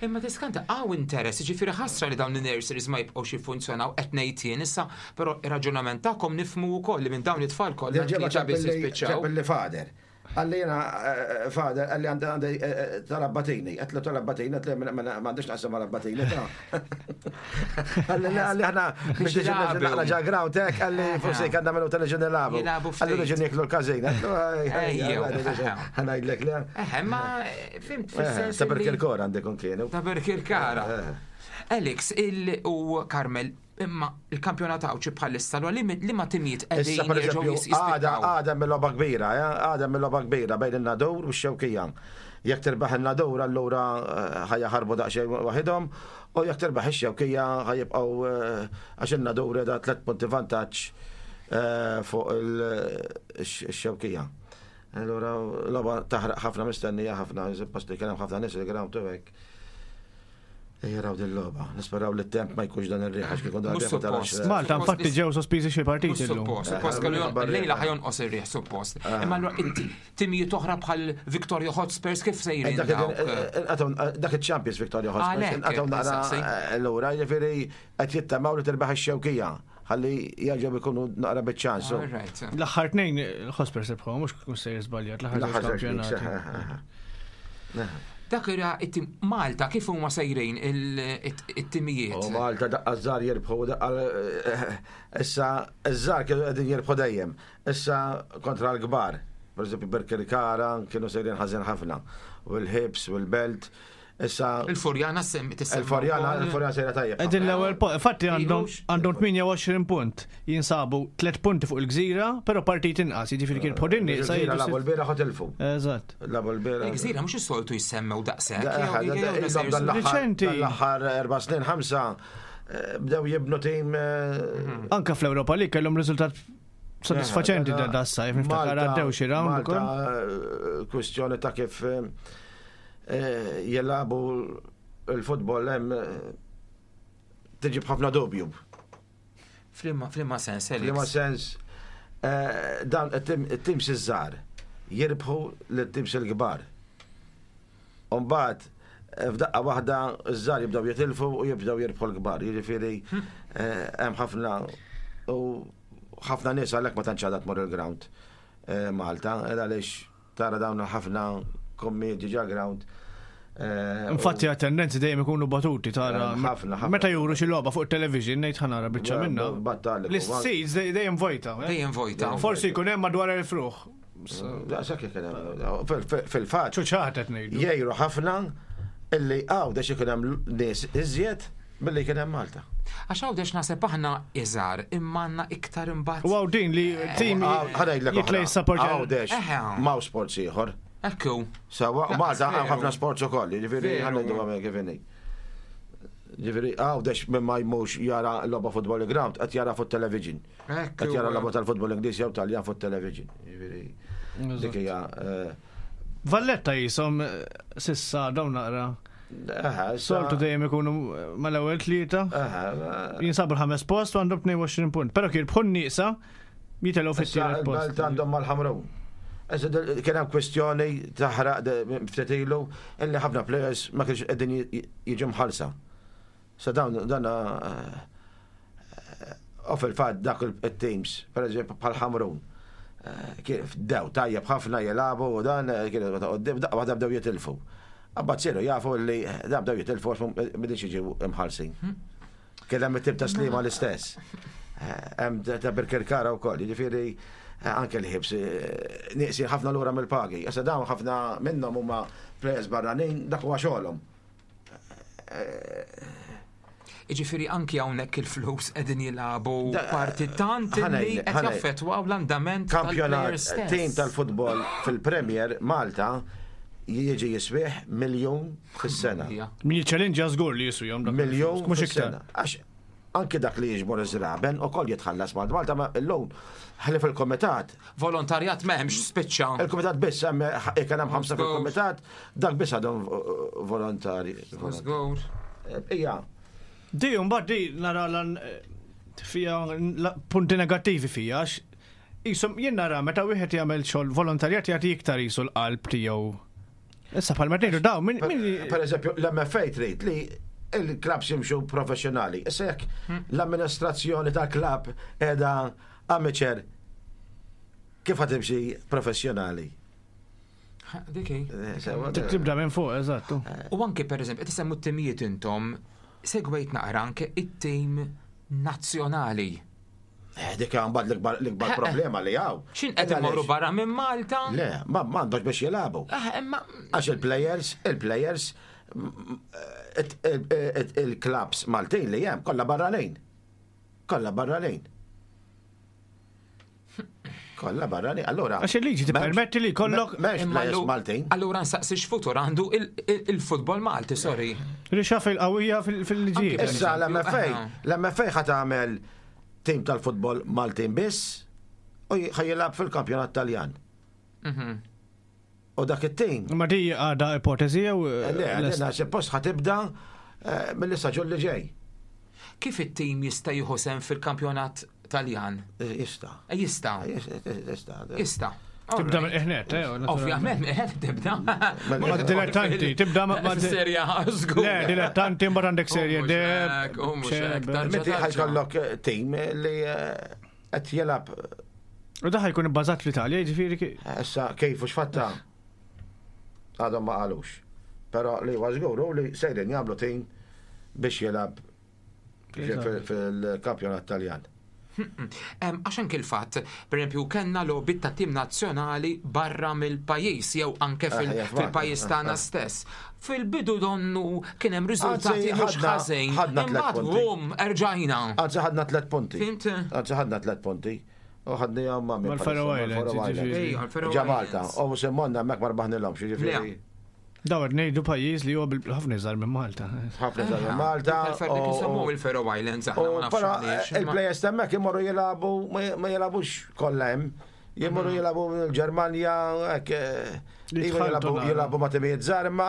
Imma tiskanta hawn interess, ġifieri ħasra li dawn in-nurseries ma jibqgħux jiffunzjonaw qed ngħid jien issa, però ir-raġunament tagħkom nifhmu wkoll li minn dawn it-tfal kollha tlieta biss jispiċċaw. Ġabbilli father. Qalli jiena father, qalli għandi għandi tal-abbatini, għedtlu tal-abbatini, għedtlu m'għandix naqsam mal-abbatini ta'. Qalli qalli aħna biex niġu naqra ġa ground hekk, qalli forsi kellna nagħmlu tal-ġen nilagħbu. Qalli niġu nieklu l-każin. Ħa ngħidlek le. Eħe, ma fimt fis-sens. Ta' Birkirkara għandek kienu. Ta' Birkirkara. Alex il u Carmel, imma il-kampjonat Għawdxi bħalissa li li ma timijiet Issa qegħdin per jerġgħu eżempju, għada jispikkaw. għada mill-logħba kbira, eh, għada mill-logħba kbira bejn in-Nadur u x-Xewkija. Jekk tirbaħ in-Nadur allura ħa jaħarbu daqsxejn waħidhom, u jekk tirbaħ ix-Xewkija ħa jibqgħu għax in-Nadur qiegħda tliet punti vantaġġ fuq ix-Xewkija. Allura logħba taħraq ħafna mistennija ħafna, post li kien hemm ħafna nies il-ground u hekk. Jaraw din logħba. Nisperaw li t-temp ma jkunx dan ir-riħ għax kieku dan Mhux ir-riħ ma tarax. suppost. Malta infatti ġew sospiżi xi partiti Mhux illum. suppost, suppost kellu jon- lejla ħa jonqos ir-riħ suppost. Imma allura timijiet oħra bħal Victoria Hotspurs kif sejrin Dak dawk? dak il-Champions Victoria Hotspurs. Għalhekk, Inqatgħu naqra saqsi. lura, jiġifieri qed jittamaw li tirbaħ ix-Xewkija. Ħalli jerġgħu jkunu naqra biċ-ċans. All right. L-aħħar tnejn il-Hotspurs rebħu, mhux kun sejjer żbaljat, l-aħħar żewġ kampjonati. Dak era it-tim Malta kif huma sejrin it-timijiet? U Malta daqqa żgħar jirbħu daqqa issa iż-żgħar kienu qegħdin jirbħu dejjem. Issa kontra l-kbar. Per eżempju Birkirkara kienu sejrin ħażin ħafna. U l-Ħibs u l-Belt. Issa Il-Furjana semmi tissemma il-Furjana, wkoll. il-Furjana sejra tajjeb. Qegħdin l-ewwel po- infatti għandhom Ilux. għandhom tmienja u għoxrin punt. Jinsabu tliet punti fuq il-Gżira, però partit inqas, jiġifieri kien podin nieqsa Il-Gżira jiġu lagħbu sitt- l-bieraħ u tilfu. Eżatt. Lagħbu l-bieraħ. Il-Gżira mhux is-soltu jissemmew daqshekk. Da- jew- da- jew- da- jew ilhom dan l-aħħar- Riċenti. dan l-aħħar erba' snin, ħamsa, eh, bdew jibnu tim eh, Anka fl-Ewropa li kellhom riżultat sodisfaċenti da da s-sajf, niftakar Malta- għaddew xi round ukoll. Malta, eh, kwistjoni ta' kif eh, eh, jilagħbu il-futbol hemm eh, tiġi b'ħafna dubju. Flimma flimma sens, Alex. F'liema sens eh, dan it-tim- it-teams iż-żgħar jirbħu lit-teams il-kbar. U mbagħad eh, f'daqqa waħda iż-żgħar jibdew jitilfu u jibdew jirbħu l-kbar. Jiġifieri eh, hemm ħafna u ħafna nies għalhekk ma tantx għadha tmur il-ground eh, Malta, għaliex tara dawn ħafna kommedji ġa ground. Eh, Infatti għat tendenzi dejjem ikunu batuti tara. Eh, ħafna, ħafna. Meta juru xi logħba fuq television ngħid ħa nara biċċa Ba- minnha. battalek, L-seats dejjem vojta. eh? Dejjem vojta. Forsi jkun hemm madwar elf ruħ. Daqshekk kien hemm. Fil- fil- Fil-fatt Ċuċat qed ngħidu. jgħiru ħafna illi għaw da ikun hemm nies iżjed milli kien hemm Malta. Għax Għawdex naħseb aħna iżgħar imma għandna iktar imbagħad. U għaw din li tim jitlej support. Għawdex, m'hawn sports ieħor. Ekku. Sawa, Malta hemm ħafna sports ukoll, jiġifieri ħa ngħidu għamel kif inhi. Ġifieri Għawdex minn ma jmux jara logħba football ground, qed jara fuq television. Qed jara logħba tal-futbol Ingliż jew Taljan fuq television. Ġifieri dik hija. Valletta jisom sissa dawn naqra. Soltu dejjem ikunu mal-ewwel tlieta. Jinsabu l-ħames post u għandhom tnejn u għoxrin punt. Però kien bħun nieqsa jitelgħu fit-tielet post. Malta għandhom mal-Ħamrun. Kien hemm kwestjoni taħraq ftit ilu illi ħafna players ma kienx qegħdin jiġu mħallsa. Sa dawn dan u fil-fatt dak il-teams, per eżempju bħal Ħamrun, kif dew tajjeb ħafna jilagħbu u dan kienu qudiem daqqa waħda bdew jitilfu. Abba siru jafu li da bdew jitilfu għax m'bidix jiġu imħallsin. Kien hemm it-tim ta' Sliema l-istess. Hemm ta' Birkirkara wkoll, jiġifieri anke l-Ħibs nieqsin ħafna lura mill-pagi. Issa dawn ħafna minnhom huma players barranin, dak huwa xogħolhom. Iġifieri anki hawnhekk il-flus qegħdin jilagħbu parti tant li qed jaffettwaw l-andament. Kampjonat, tim tal-futbol fil-Premier Malta jiġi jiswih miljun fis-sena. Min jiċċellinġa żgur li jiswihom. Miljun mhux iktar. Għax anki dak li jiġbor iż-żraben ukoll jitħallas Malta. Malta ma llum ħli fil-komitat. Volontarjat m'hemmx spiċċa. Il-komitat biss hemm kien hemm ħamsa fil-komitat, dak biss għadhom volontari. Żgur. Ija. Di mbagħad di nara lan fija punti negattivi fija għax jisom jien nara meta wieħed jagħmel xogħol volontarjat jagħti iktar jisu l-qalb tiegħu. Issa bħalma tgħidu daw min Per eżempju l-M F A trid li il-klabs jimxu professjonali. Issa jekk l-amministrazzjoni ta' klab qiegħda amateur, kif ħa timxi professjonali? Dik hi. Tibda minn fuq, eżattu. U anke per eżempju, qed isemmu t-timijiet intom, segwejt naqra anke it-tim nazzjonali. Eh, dik għan bad l-ikbar problema li għaw. Xin qed imorru barra minn Malta? Le, ma m'għandhomx biex jilagħbu. Għax il-players, il-players, il-clubs Maltin li hemm kollha barranin. Kollha barranin. Kollha barranin. Allora. Għax il-liġi tippermetti li kollok. M'hemmx players Maltin. Allura nsaqsi x'futur għandu il-futbol Malti, sorry. Rixaf il-qawwija fil-liġi. Issa l-M F A, l-M F A ħa tagħmel tim tal-futbol Maltin biss u ħa jilgħab fil-kampjonat Taljan. Mhm. U dak it-tim. Ma di għada ipotezi jew? Le, għadna suppost ħa tibda eh, mill-istaġun li ġej. Kif it-tim jista' jieħu sehem fil-kampjonat Taljan? Eh, jista'. Eh, jista'. Jista'. Jista'. Tibda mill ħnet, eh? Ovvjament, mill tibda. Ma dilettanti, tibda ma' Serja, żgur. Le, dilettanti mbagħad għandek serje D. Meti ħa jkollok tim li qed jilgħab. U da ħa jkun ibbażat fl-Italja, jiġifieri. Issa kif u x'fatta għadhom ma qalux. Però li huwa żgur li sejrin jagħmlu tim biex jilgħab fil-kampjonat Taljan. Għax anke il-fatt, per esempio, kellna logħbiet ta' tim nazzjonali barra mill-pajjiż jew anke fil-pajjiż tagħna stess. Fil-bidu donnu kien hemm riżultati mhux ħażin. Imbagħad bum erġajna. Anzi ħadna tliet punti. Fhimt? Anzi ħadna tliet punti. U ħadni għom ma' Mal-Faroe Islands. Ġa Malta. U semmonna mek ma rbaħnilhomx, jiġifieri. Dawar ngħidu pajjiż li huwa ħafna iżgħar minn Malta. Ħafna iżgħar minn Malta. Isemmu il-Faroe Islands aħna ma nafx. Il-players hemmhekk imorru jilagħbu ma jilagħbux kollha hemm. Jimorru jilagħbu l-Ġermanja, hekk jilagħbu ma' timijiet żgħar, imma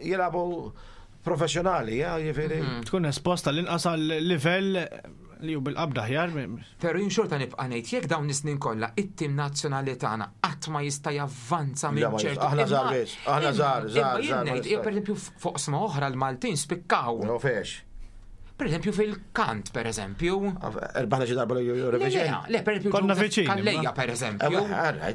jilagħbu professjonali, jiġifieri. Tkun esposta l-inqas għal livell li hu bil-qabda ħjar. Pero jien xorta nibqa' ngħid jekk dawn is-snin kollha it-tim nazzjonali tagħna qatt ma jista' javvanza minn ċertu. Aħna żgħar biss, aħna żgħar, żgħar. Jien ngħid, pereżempju fuq sma oħra l-Maltin spikkaw. No fex. Per eżempju fil-kant, per eżempju. Irbaħna xi darba l-Eurovision. Le, per eżempju. Konna viċini. Kalleja, per eżempju.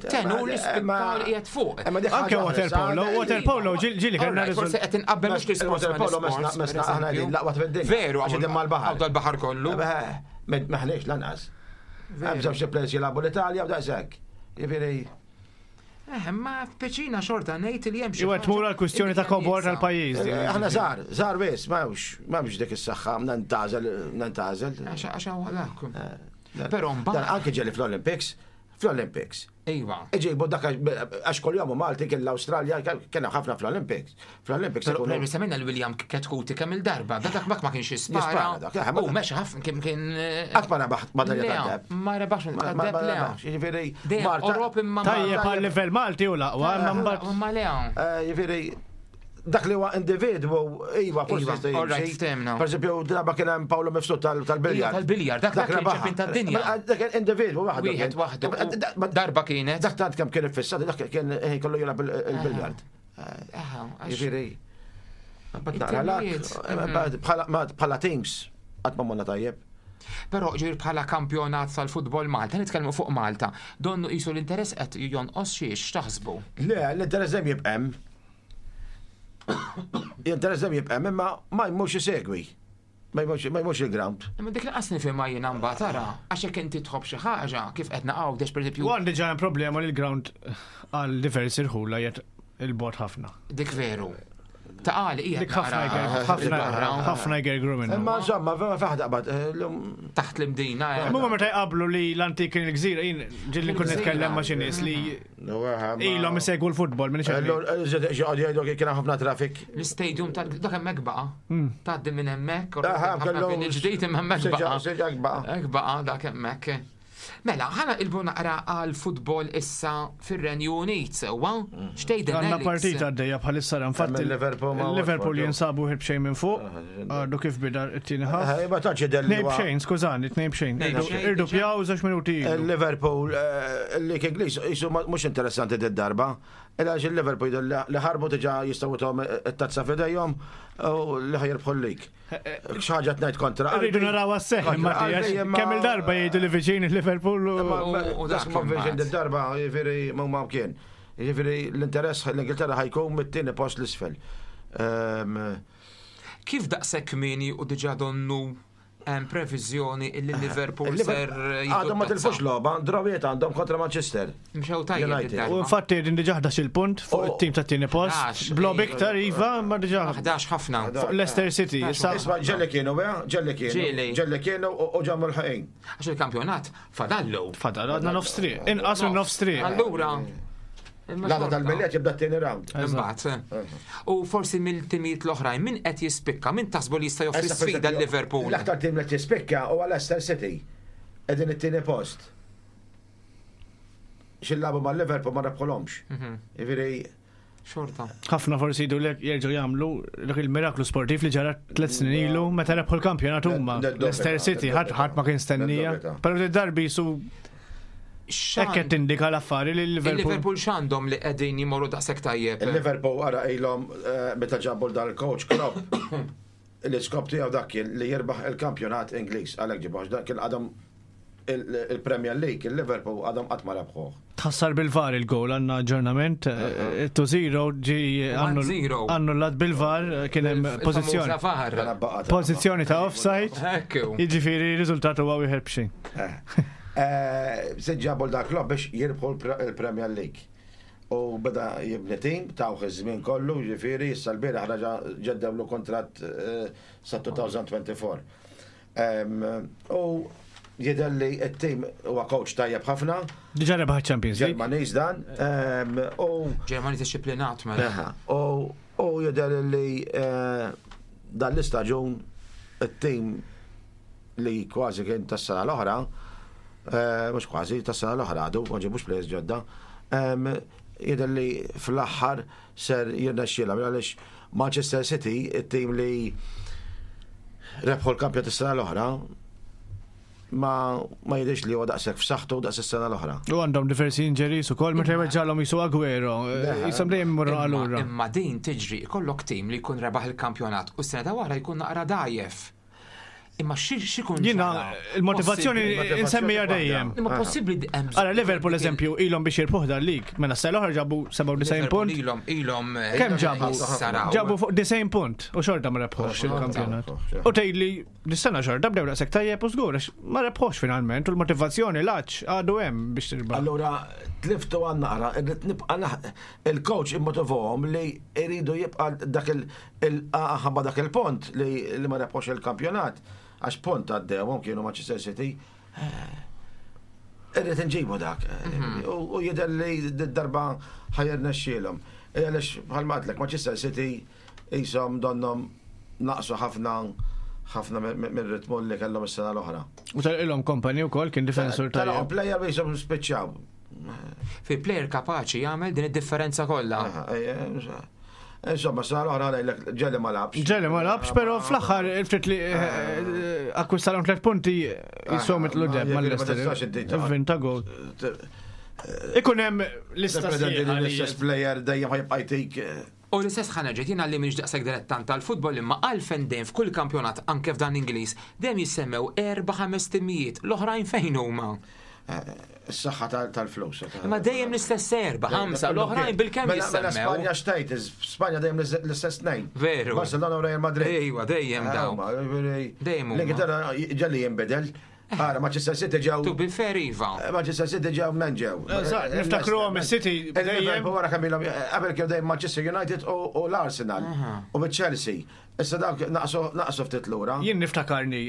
Tenu li spikkaw li qiegħed fuq. Anke water polo, water polo ġili kellna. Forse qed inqabbel mhux l-isport. Water polo mesna aħna qegħdin l-aqwa fid-dinja. Veru, għax mal-baħar. Għaw dal-baħar kollu. Maħniex lanqas. Hemm żewġ players jilagħbu l-Italja u daqshekk. Jiġifieri. Eh, ma peċina xorta ngħid li hemm xi Iwa tmur għal kwistjoni ta' kobor tal-pajjiż. Eh, aħna żgħar, żgħar biss, m'hemmx m'hemmx dik is-saħħa, nantgħażel, nantgħażel. Għax għax dak. Eh, Però Dan mbagħad anke ġeli fl-Olympics, fl-Olympics. Iva. Iġibu dak għax kull jom Malti kien l-Awstralja, kien hemm ħafna fl-Olympics. Fl-Olympics Però ikunu- però semmejna l-William Chetcuti kemm il-darba, da dak mak ma kienx jispara. Jispara dak, eh, ma U dak- mexa ħafna kien kien. Qatt ma rebaħ madalja Le, tad-deheb. Ma rebaħx Ma- ma- tad-deheb ma le. rebaħx, jiġifieri, Dejjem Marta- Orop imma ma- Tajjeb għal livell Malti u l-aqwa, imma mbagħad Ma le. Eh, Jiġifieri, dak li huwa individwu, iva, forsi Iva, jista' all right, jimxi. ftehmna. Per eżempju, darba kien hemm Paolo Mifsud tal- tal-biljard. Iva, tal-biljard, dak- dak kien rebaħha. ċampjon tad-dinja. Ma- Dak kien individwu waħdu. Wieħed kien. waħdu. Da- da- ma- Darba kienet. Dak tant kemm kien iffissat, dak kien eh, kollu jilgħab il- il-biljard. Aha, għax- Jiġifieri, mbagħad naqra lak, It-timijiet. eh, bħala ma- bħala teams, qatt ma morna tajjeb. Però ġir bħala kampjonat tal-futbol Malta, nitkellmu fuq Malta, donnu qisu l-interess qed jonqos xiex taħsbu. Le, l-interess dejjem jibqa' hemm. L-interess dejjem jibqa' hemm, imma ma jmurx isegwi. Ma jmurx ma jmurx il-ground. Imma dik lanqas nifhimha jiena mbagħad tara, għax jekk inti tħobb xi ħaġa, kif qed naqgħu pereżempju U għandi ġa hemm problema li l-ground għal diversi rħula jgħet il-bot ħafna. Dik veru. Ta' għali hija Dik ħafna naqra jger- ħafna il-barra, ħafna jgergru minnu. Imma insomma, vera faħda qabad. eh, l-lum taħt l-imdina. eh. Imma meta jqablu li l-antik kien il-gżira, jien ġilli nkun nitkellem ma' xi nies li ilhom isegwu l-futbol minn xi. Ġoddu jgħidu kien hemm ħafna traffic. L-istadium ta' dak hemmhekk baqa'. Tgħaddi minn hemmhekk, u Aha, ħafna kellu- kien il-ġdid imma hemmhekk Seġa- baqa'. seġa hekk baqa'. Hekk baqa' dak hemmhekk. Mela, ħana ilbu naqra għal futbol issa fir-Renju Unit sewwa. Xtejden Għanna Alex? partita għaddejja bħalissa infatti Hemm il-Liverpool ma' Liverpool Watford, jinsabu ħib xejn minn fuq, għadu kif bida t-tieni ħaf. Eh, Ma tantx jidher li Tnejn huwa- bxejn, skużani, tnejn bxejn. Tnejn bxejn, Irdu żewġ minuti ilu. Il-Liverpool, eh, il-lig Ingliż, jisu ma- mhux interessanti d-darba. Illa għax il-Liverpool jidher li li ħarbu diġà jistgħu tom it-tazza f'idejhom u li ħajirbħu l-lig. Xi ħaġa tnejt kontra. Rridu naraw għas-seħ, Kontra Mattias. qalbi, imma- Kemm il-darba jgħidu li viċin il-Liverpool u. U- u dak dak ma viċin imbagħad. d-darba, jiġifieri ma ma kien. Jiġifieri l-interess l-Ingilterra ħajkun mit-tieni post l-isfel. Ehm, Kif daqshekk kmieni u diġà donnu hemm previżjoni illi Liverpool ser jieħdu Għadhom ma t-tazza? tilfux logħba, drawiet għandhom kontra Manchester. Mxew tajjeb United. id-darba. U infatti din diġà ħdax il-punt fuq Oh. it-tim tat-tieni post. Ħdax, Blob ej. iktar iva, ma diġà ħdax ħafna. fuq Leicester City. Issa Isma' ġelli kienu, eh? Ġelli kienu. Ġieli. Ġelli kienu u u ġammu l-ħajn. Għax il-kampjonat fadallu. fadal għadna nofs triq. Inqas minn nofs triq. Allura. imma L-għada xorta. tal-biljet jibda t-tieni round. Imbagħad. U forsi mill-timijiet l-oħrajn min qed jispikka, min taħsbu li jista' joffri Issa, per sfida esempio, l-Liverpool? L-aktar tim li tispikka huwa Leicester City. Qegħdin it-tieni post. Xillabu ma' Liverpool ma rebħolhomx. Mhm. Jiġifieri Xorta. ħafna forsi jgħidu lek jerġgħu jagħmlu dak il-miraklu sportiv li ġara tliet snin ilu meta rebħu l-kampjonat huma. Ned- Leicester City ħadd ħadd ma kien stennija. Ned- Però darbi su hekk qed tindika l-affari li Liverpool. Il-Liverpool x'għandhom li qegħdin jimorru daqshekk tajjeb? il-Liverpool ara ilhom eh, meta ġabu dal-coach Klopp. L-iskop tiegħu dak kien li jirbaħ il-kampjonat Ingliż għalhekk ġibuh dak kien għadhom il- il-Premier League, il-Liverpool għadhom qatt ma rebħuh. Tħassar bil-VAR il-goal għandna aġġornament due zero ġi One zero. annullat bil-VAR eh, kien hemm pożizzjoni. Il-famuża VAR. Mela baqgħet. Pożizzjoni ta' offside. Ekku. Jiġifieri r-riżultat huwa wieħed b'xejn. Eh, Se ġabu dak Klopp biex jirbħu l- il-Premier League. U beda jibni tim, tawh iż-żmien kollu, ġifieri, issa l-bieraħ raġa ġeddewlu kontratt eh, sa elfejn u erbgħa u għoxrin. Em, U jidher li t-tim huwa coach tajjeb ħafna, Diġà rebaħ Champions League. Ġermaniż dan, em, u Ġermani disciplinat mela. Aha, U u jidher li eh, dan l-istaġun it-tim li kważi kien tas-sena l-oħra, eh, mhux kważi tas-sena l-oħra għadu, ma ġibux players ġodda, em, jidher li fl-aħħar ser jirnexxielhom għaliex Manchester City, it-tim li rebħu l-kampjonat is-sena l-oħra, ma ma jidhirx li huwa daqshekk f'saħħtu daqs is-sena l-oħra. U għandhom diversi injuries ukoll meta jweġġalhom jisu Aguero, Leħa. jisom dejjem imorru Imma- allura. Imma din tiġri ikollok tim li jkun rebaħ il-kampjonat u s-sena ta' wara jkun naqra dajjef. Imma xi kun Jiena il-motivazzjoni insemmija dejjem. Imma possibbli hemm. Ara Liverpool eżempju ilhom biex jirbħuh dal-lig, mela s l-oħra ġabu sebgħa u disgħin punt. Ilhom ilhom Kemm ġabu? Ġabu fuq disgħin punt u xorta ma rebħux il-kampjonat. U tgħidli dis-sena xorta bdew daqshekk tajjeb u żgur ma rebħux finalment u l-motivazzjoni l-għatx għadu hemm biex tirbaħ. Allura tliftu għan naqra, irrid nibqa' il-coach immotivahom li jridu jibqa' dak il-ħabba dak il-punt li ma rebħux il-kampjonat. Għax punt għaddewhom kienu Manchester City. Irrid nġibu dak. U jidher li d-darba ħa jirnexxielhom. Għaliex bħalma għedtlek Manchester City jisom donnom naqsu ħafna ħafna mir-ritmu li kellhom is-sena l-oħra. U tal-ilhom Kompany wkoll kien difensur tajjeb. Player jisom spiċċaw. Fi player kapaċi jagħmel din id-differenza kollha. Insomma, sena l-oħra ngħidlek ġeli ma labx. Ġeli ma labx, però fl-aħħar il-ftit li akkwistalhom tliet punti jisom itlu deb mal-Leicester. Vinta gol. Ikun hemm lista l-istess player dejjem ħajbqa' jtik. U l-istess ħanerġet jiena li m'iniex daqshekk dilettant tal-futbol imma għalfejn dejjem f'kull kampjonat anke f'dan Ingliż dejjem jissemmew erba' ħames timijiet l-oħrajn fejn huma. Is-saħħa tal-flus. Imma dejjem l-istess erba' ħamsa l-oħrajn bil-kemm jissemmew. Spanja xtejt, Spanja dejjem l-istess tnejn. Veru. Barcelona u Real Madrid. Ejwa, dejjem daw. Dejjem. L-Ingilterra ġelli jinbidel. Ara, Manchester City ġew. To be fair, iva. Manchester City ġew men ġew. Niftakruhom is-City dejjem. Wara kemm ilhom qabel kienu dejjem Manchester United u l-Arsenal u Chelsea. Issa dawk naqsu ftit lura. Jien niftakarni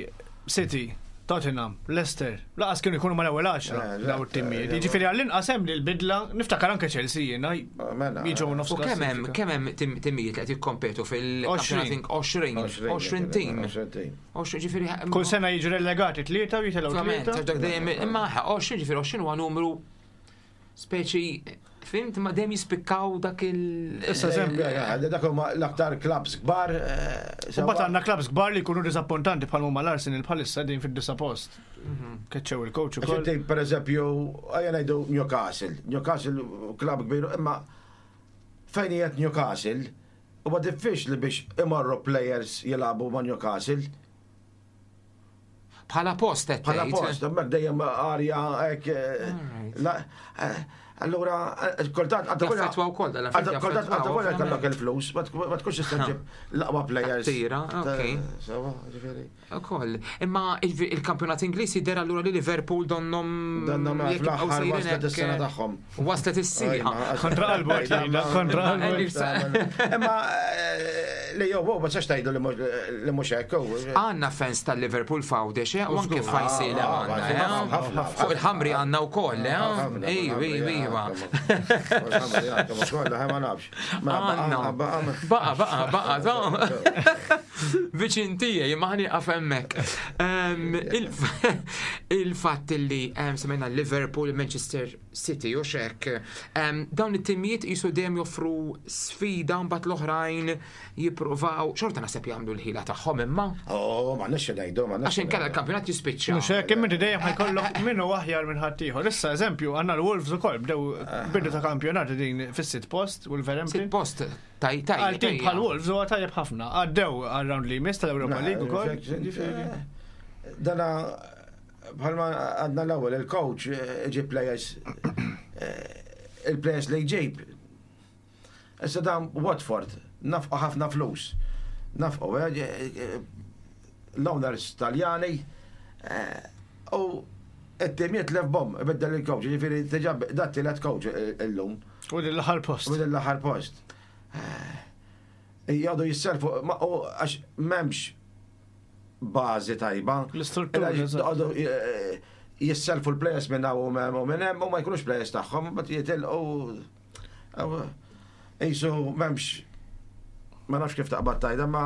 City, Tottenham, Leicester, laqas kienu jkunu mal-ewwel għaxra daw it-timijiet. Jiġifieri għall-inqas hemm li l-bidla, niftakar anke Chelsea jiena jiġu nofs. U kemm hemm kemm hemm timijiet li qed jikkompetu fil-kampjonat għoxrin, għoxrin tim. Ġifieri kull sena jiġu relegati tlieta u jitilgħu tlieta. Dejjem imma għoxrin ġifieri għoxrin huwa numru speċi fimt ma dejjem jispikkaw dak il. Issa eżempju, dak huma l-aktar klabs kbar. U mbagħad għandna klabs kbar li jkunu diżappuntanti bħal huma l-Arsenal bħalissa din fid-disa post. Keċċew il-coach ukoll. Per eżempju, ejja ngħidu Newcastle. Newcastle klab kbir, imma fejn qiegħed Newcastle huwa diffiċli biex imorru players jilagħbu ma' Newcastle. Bħala post qed Bħala post, hemmhekk dejjem arja hekk. Allura, kultant għandha wkoll dal-affarijiet. Kultant għandha kellok il-flus, ma tkunx tista' ġib l-aqwa players. Tira, okej. Sewa, ġifieri. Ukoll. Imma il-kampjonat Ingliż jidher allura li Liverpool donnom donnom fl-aħħar waslet is-sena tagħhom. Waslet is-sieħa. Kontra qalbu kontra qalbu. Imma li jew ma tistax tgħidu li mhux hekk. Għandna fans tal-Liverpool f'Għawdex u anke f'Għajnsielem għandna. Fuq il-ħamri għandna wkoll, eh? Ejju, ejju, ejju. Għanna. Baqa, baqa, baqa, viċin tiegħi, imma ħani hemmhekk. Il-fatt li semmejna Liverpool, Manchester City u xek, dawn it-timijiet jisu dejjem joffru sfida mbagħad l-oħrajn jippruvaw, xorta naħseb jagħmlu l-ħila tagħhom imma. Oh, ma nix ngħidu, ma Għax inkella l-kampjonat jispiċċa. Mhux hekk, imma dejjem ħajkollok minnu aħjar minn ħaddieħor. Issa eżempju għandna l-Wolves ukoll bdew bidu ta' kampjonat din fis-sitt post Wolverhampton. Sitt post taj taj. Għal tim bħal Wolves huwa tajjeb ħafna. Għaddew għal-round li jmiss tal-Europa League ukoll. Dana bħalma għadna l-ewwel il-coach iġib players il-players li jġib. Issa dan Watford nafqu ħafna flus. Nafqu l-owners Taljani u it-tim jitlef bom, ibiddel il-coach, ġifieri diġà dat tielet coach illum. U l-aħħar post. U l-aħħar post. Jgħadu jisselfu, għax m'hemmx bażi tajba. L-istruttura. Jgħadu jisselfu l-players minn hawn u minn hemm u ma jkunux players tagħhom, ma jitilqu. Jisu m'hemmx, ma nafx kif taqbad tajda, ma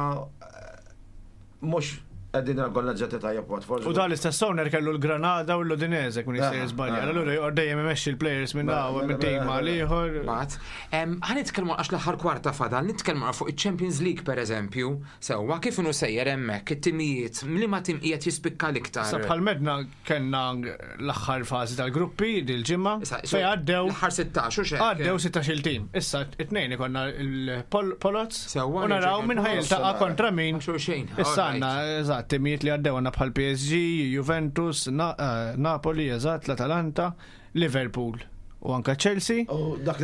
mhux qegħdin organizzati tajjeb Watford. U dan l-istess owner kellu l-Granada u l-Udinese kun jista' jiżbalja. Allura joqgħod dejjem imexxi l-players minn hawn minn tim għal ieħor. Bat, ħa nitkellmu għax l-aħħar kwarta fadal, nitkellmu fuq iċ-Champions League pereżempju. Sewwa kif inhu sejjer hemmhekk it-timijiet, liema tim qiegħed jispikka l-iktar. Sa bħal medna kellna l-aħħar fażi tal-gruppi dil-ġimgħa fejn għaddew l-aħħar sittax u xejn. Għaddew sittax-il tim. Issa it-tnejn ikollna l-Polots u naraw min ħajiltaqa' kontra min. Xulxin. Issa għandna eżatt Timijiet li għaddew għandna bħal P S G, Juventus, Na eh, Napoli, eżatt, l-Atalanta, Liverpool u anka Chelsea. U dak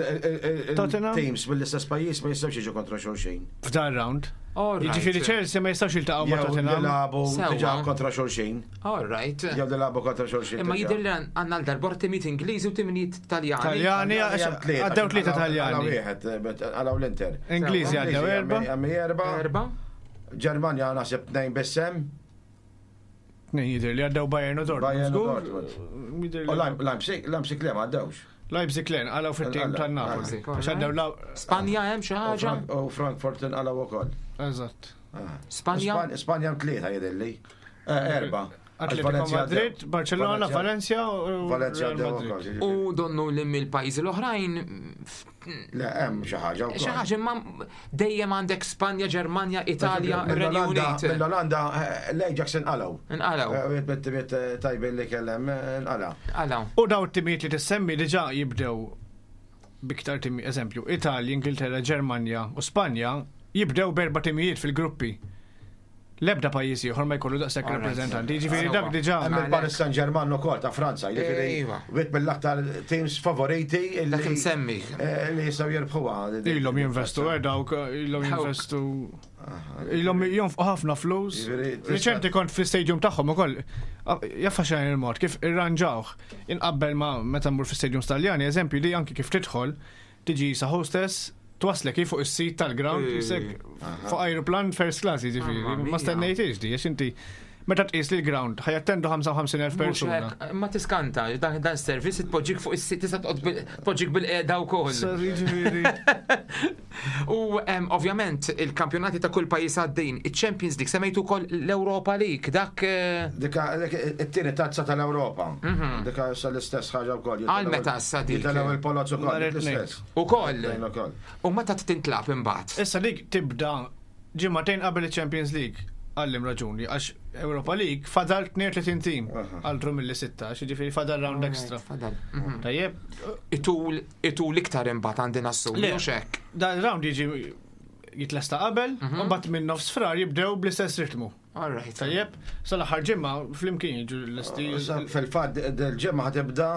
Tottenham? il-teams mill-istess pajjiż ma jistgħux jiġu kontra xulxin. F'dan round. All right. Jiġifieri Chelsea ma jistgħux jiltaqgħu ma' Jew li Tottenham. lagħbu Sewwa. diġà kontra xulxin. All right. Jew li lagħbu kontra xulxin. Imma diġà. jidher li għandna l-darbor timijiet Ingliżi u timijiet Taljani. Taljani, għax Hemm tlieta, għaddew tlieta għalaw Taljani. wieħed, bet għalaw l-Inter. Ingliżi għaddew erba. Hemm erba. Erba. Ġermanja naħseb tnejn biss hemm. Tnejn jidher li għaddew, Bayern u Dortmund. Bayern u Żgur? Dortmund. Jidher U li- Leip- Leipzig, Leipzig le ma għaddewx. Leipzig le, għalaw fit-tim Għalaw, tan-Napoli. Leipzig, Għax għaddew law. Spanja hemm xi U ħaġa? Frank- U Frankfurt inqalgħu ukoll. Eżatt. Ah. Spanja? Span- Spanja hemm tlieta jidhirli. Eh, Erba. Atletico Valencia Madrid, għaddew. Barcellona, Valencia u Valencia Real għaddew Madrid. ukoll. U donnu li mill-pajjiżi l-oħrajn Le, hemm xi ħaġa wkoll. xi ħaġa, imma dejjem għandek Spanja, Ġermanja, Italja, Renju Mill-Olanda, Unit. mill-Olanda, eh, l-Ajax inqalgħu. Inqalgħu. Eh, Wieħed mit-timiet eh, tajbin li kellem eh, inqala'. Għalaw. U daw it-timijiet li tissemmi diġà jibdew biktar timi, eżempju, Italja, Ingilterra, Ġermanja u Spanja jibdew berba timijiet fil-gruppi. L-ebda pajjiż ieħor ma jkollu daqshekk Alright. rappreżentanti. Jiġifieri Sewwa. dak diġà. Hemm il-Paris Saint-Germain ukoll ta' Franza, jiġifieri Ejwa. wieħed mill-aktar teams favoriti illi Dak imsemmi. eh, li jistgħu jirbħuha. Ilhom jinvestu, eh, dawk ilhom Dawk. jinvestu. Ilhom jonfqu ħafna flus. Jiġifieri tista' Reċenti kont fi-stadium tagħhom ukoll. Jaffa xejn il-mod kif irranġawh. Inqabbel ma meta mmur fi-stadium Taljani, eżempju li anki kif tidħol tiġi sa hostess twaslek hi fuq is-sit tal-ground, Eh. jisek fuq aeroplan first class, jiġifieri. Mamma Ma mia. stennejtix di, għax inti meta tqis li l-ground ħa jattendu ħamsa u ħamsin elf Mhux persuna. hekk, ma tiskanta, dan dan service tpoġġik fuq is-sit, tista' toqgħod bil- tpoġġik bil-qiegħda wkoll. Sa jiġifieri. U em, ovvjament il-kampjonati ta' kull pajjiż għaddejn, il-Champions League, semmejtu wkoll l-Europa League, dak eh, Dika dik it-tieni tazza tal-Ewropa. Dika issa l-istess ħaġa wkoll. Għal meta issa dik? Jitilgħu il-Polozz ukoll Nhar dik it-tnejn. l-istess. Ukoll. Tnejn ukoll. U meta tintlab imbagħad? Issa dik tibda ġimagħtejn qabel il-Champions League. Għallim raġuni, għax Europa League fadal tnejn u tletin team, altru mill-li sittax, jiġifieri fadal round extra. Fadal. Mhm. Tajjeb, Itul itul iktar imbagħad għandi nassumi, Le. mhux hekk. Dan round jiġi jitlesta qabel, u mbagħad minn nofs frar jibdew bl-istess ritmu. All right. Tajjeb, sal-aħħar ġimgħa flimkien jiġu l-esti. Issa fil-fatt dil-ġimgħa ħa tibda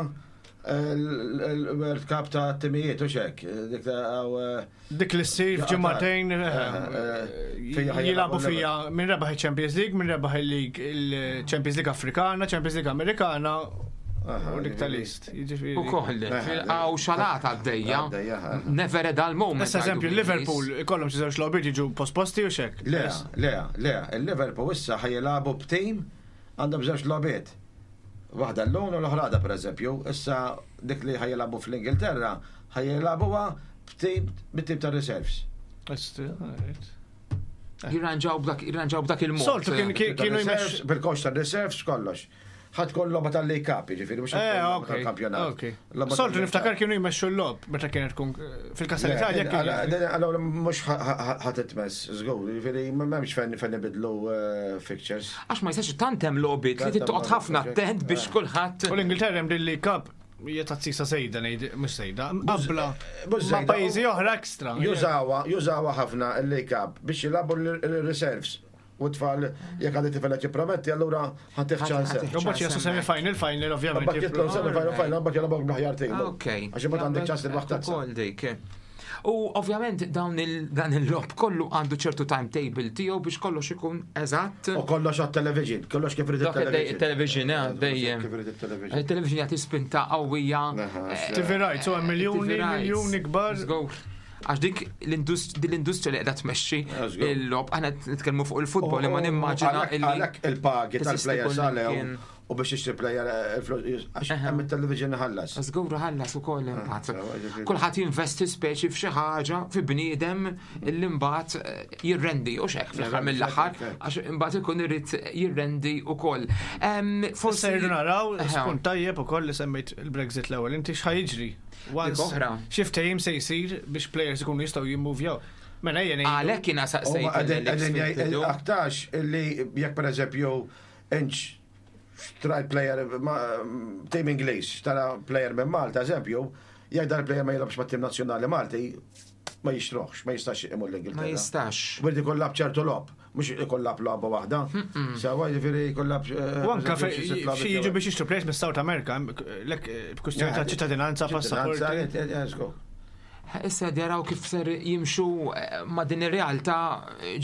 il-World Cup ta' timijiet u xek. Dik ta' għaw, eh, Dik li ssir Ja, f'ġimagħtejn eh, eh, fija ħajja jilagħbu l-ewwel. fija min rebaħ il-Champions League, min rebaħ il-League il-Champions League Afrikana, Champions League Amerikana Aha, u dik jiġifieri. tal-East. Jiġifieri. Ukoll, għaw xalata għaddejja. Għaddejja, eh. Never a dull moment. Issa eżempju, għajdu Liverpool ikollhom xi żewġ logħbiet jiġu posposti u xek. Le, le, le, il-Liverpool issa ħa jilagħbu b'tim għandhom żewġ logħbiet. Waħda l-lum u l-oħra għada, per eżempju, issa dik li ħa jilagħbu fl-Ingilterra ħa jilagħbuha b'tim bit-tim ta' reserves. Jirranġaw b'dak jirranġaw b'dak il-mod. Soltu kien kien- kienu Reserves, jmexxu. bil-coach ta' reserves kollox. Ħa tkun logħba tal-League Cup, jiġifieri mhux Eh, ħa tkun logħba ok. tal-kampjonat. ok. Logħba Soltu tal-League niftakar Cup. kienu jmexxu l-logħob meta kienet tkun fil-kas tal-Italja kien. Allora mhux ħa titmess, żgur, jiġifieri m'hemmx fejn fejn ibidlu eh, fixtures. Għax ma jistax tant hemm logħbiet li Tant hemm tittoqgħod ħafna logħbiet, attent biex eh. kulħadd. U l-Ingilterra hemm din League Cup hija tazzisa sejda ngħid mhux sejda, qabla mhux ma' sejda. pajjiżi oħra ekstra. Jużawa, jużawa ħafna il-League Cup biex jilagħbu l-reserves. U tfal, jekk għandi tifel qed jipprometti, allura ħa ttih ċans. Ħa U mbagħad jaslu semi final, final ovvjament. Mbagħad jitlu semi final, final, mbagħad jilagħbu bl-aħjar tim. Ok. Għax imbagħad għandek ċans tirbaħ tazza. Ukoll dik. U ovvjament dawn il dan il-logħob kollu għandu ċertu timetable tiegħu biex kollox ikun eżatt. U kollox għat-television, kollox kif irid Dak il-television. il-television, eh, dejjem. Kif irid il-television. Il-television jagħti spinta qawwija. Aha, eh, T V rights, u hemm miljuni, T V rights. miljuni kbar. Żgur. Għax dik l-indust- din l-industrija li qiegħda tmexxi Ah, żgur. il-logħob, aħna nitkellmu fuq il-futbol imma nimmaġina Għalhekk- illi Għalhekk il-pagi teżisti tal-players kull għalew imkien. u biex tixtri player eh, il-flus, għax Aha. hemm il-television ħallas. Żgur ħallas ukoll imbagħad. sewa, ġifieri. Kulħadd jinvesti speċi f'xi ħaġa fi bniedem illi mbagħad eh, jirrendi u xek fl-aħħar mill-aħħar għax imbagħad ikun irid jirrendi ukoll. Em, Forse Forsi irridu naraw, Eħe. spunt tajjeb ukoll li semmejt il-Brexit l-ewwel. Inti x'ħa jiġri? Once Dik oħra. xi ftehim se jsir biex players ikunu jistgħu jimmuvjaw. Mela ejja ngħidu. Għalhekk jiena U saqsejt ma qegħdin- lil qegħdin jgħid- fil-bidu. aktarx illi jekk per eżempju inċ xtrajt player ma- tim Ingliż, tara player minn Malta, eżempju, jekk dan player ma jilgħabx mat-tim nazzjonali Malti, ma jixtruhx, ma jistax imur l-Ingilterra. Ma jistax. Wieħed ikun lagħab ċertu logħob, mhux ikun lagħab logħba waħda. Sewwa, jiġifieri jkun lagħab. U anka xi jiġu biex jixtru players mis-South America, lek b'kwistjoni ta' ċittadinanza, passaporti. Issa jaraw kif ser jimxu eh, ma' din ir-realtà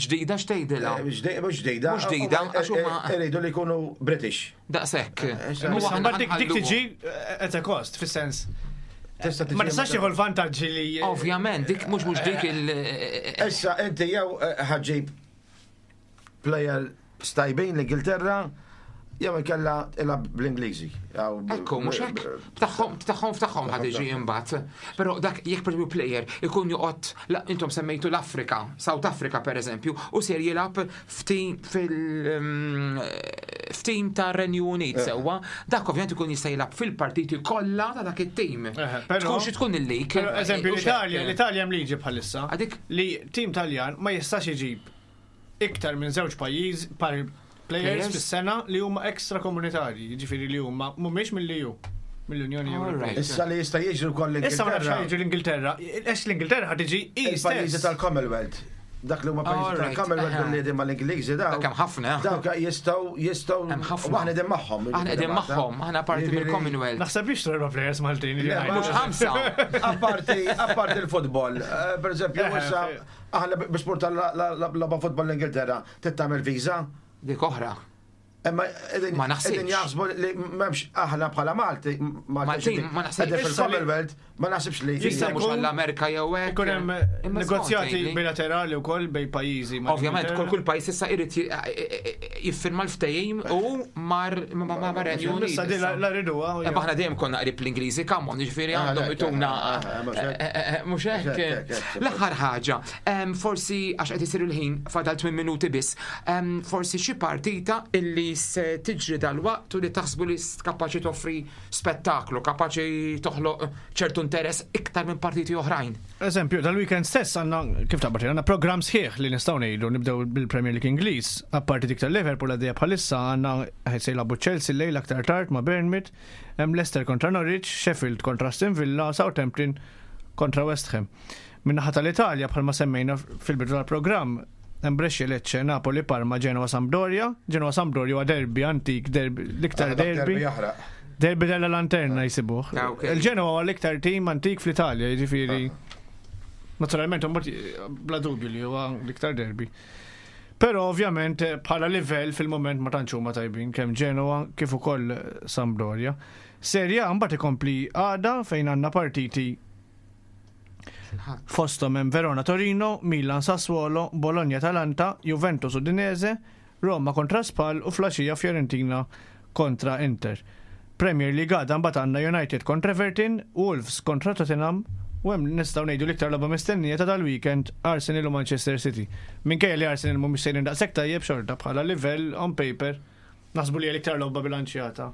ġdida x'tgħidilha. Mhux ġdida. Mhux ġdida, għax huma- Iridu li jkunu British. Daqshekk. issa- U Issa aħna mbagħad dik dik nħalluhom. tiġi at a cost, fis-sens. Tista' tiġi Ma tistax tieħu l-vantaġġi li. Ovvjament, dik mhux mhux dik il- Issa inti jew eh, ħa ġġib player stajbin l-Ingilterra, jew inkella ilgħab bl-Ingliżi. Jew b- Ekku, mhux hekk. Tagħhom tagħhom f'tagħhom ħad iġi imbagħad. Però dak jekk per player ikun joqgħod la- intom semmejtu l-Afrika, South Africa per eżempju, u ser jilgħab f'tim fil mm, f'tim ta' Renju Unit sewwa, dak ovvjament ikun jista' jilgħab fil-partiti kollha ta' dak it-tim. Eħe, però- Tkun xi tkun il-lig. Però eżempju U xek. l-Italja, l-Italja hemm liġi bħalissa Għadik li tim Taljan ma jistax iġib iktar minn żewġ pajjiż par players Players? fis-sena li huma ekstra komunitarji, jiġifieri li huma mhumiex mill-E U, mill-Unjoni All Ewropea. right. Issa li jista' jiġri wkoll Issa ma nafx l-Ingilterra. jiġri l-Ingilterra, għax l-Ingilterra ħad tiġi hi Il-pajjiżi stess. tal-Commonwealth. Dak li huma pajjiżi All right, tal-Commonwealth aha. billi qegħdin mal-Ingliżi daw. Dak hemm ħafna. Dawk jistgħu jistgħu Hemm ħafna. u aħna qegħdin magħhom. Aħna qegħdin magħhom, aħna parti Jiġifieri- mill-Commonwealth. Naħseb jixtru erba' players Maltin. li Le, jgħidu. Mhux ħamsa. Apparti, apparti il-futbol, eh, per eżempju, Eh, issa aħna biex tmur tal-logħba futbol l-Ingilterra, trid tagħmel viża. Dik oħra. Imma qegħdin Ma naħsibx. qegħdin jaħsbu li m'hemmx aħna bħala Malti, Maltin, ma naħsibx. Qegħdin fil-Commonwealth, ma naħsibx li. Jista' Jista' mhux jkun- għall-Amerika jew hekk. Ikun hemm Imma negozjati skont tgħidli. bilaterali wkoll bejn pajjiżi. ma' Ovvjament, kull l-Ingilterra. kull pajjiż issa irid ji- jiffirma l-ftehim u mar ma ma ma Renju Unit. Issa di la la riduha. Imma aħna dejjem konna qrib l-Ingliżi, come on, jiġifieri Ah, għandhom le, ituna. ah, ah, mhux hekk. eh, eh, eh, Mhux hekk. Mhux hekk, hekk, L-aħħar ħaġa, em, forsi għax qed isir il-ħin fadal tmien minuti biss, em, forsi xi partita illi se tiġri dal-waqt u li taħsbu li kapaċi toffri spettaklu, kapaċi toħloq ċertu interess iktar minn partiti oħrajn. Eżempju, dal-weekend stess għandna, kif taqbad, għandna program sħiħ li nistgħu ngħidu nibdew bil-Premier League Ingliż, apparti dik tal-Liverpool għaddejja bħalissa għandna se jilagħbu Chelsea lejl aktar tard ma' Bournemouth, hemm Leicester kontra Norwich, Sheffield kontra Aston Villa, Southampton kontra West Ham. Min-naħa tal-Italja bħalma semmejna fil-bidu tal-programm, hemm Brescia, Lecce, Napoli, Parma, Genoa, Sampdoria. Genoa Sampdoria huwa derby antik, derby, l-iktar Ah, dak derby. jaħraq. Derby della Lanterna jisibuh. Ah, ok. Il-Genoa huwa l-iktar tim antik fl-Italja, jiġifieri. Naturalment, mbagħad bla dubju li huwa l-iktar derby. Però ovvjament bħala livell fil-moment ma tantx huma tajbin kemm Genoa kif ukoll Sampdoria. Serie A mbagħad ikompli għada fejn għandna partiti fosthom hemm Verona Torino, Milan Sassuolo, Bologna Atalanta, Juventus Udinese, Roma kontra Spal u filgħaxija Fiorentina kontra Inter. Premier League għada mbagħad għandna United kontra Everton, Wolves kontra Tottenham u hemm nistgħu ngħidu l-iktar logħba mistennija ta' dal-weekend Arsenal u Manchester City. Minkejja li Arsenal mhumiex sejrin daqshekk tajjeb xorta bħala livell on paper naħsbu li hija l-iktar logħba bilanċjata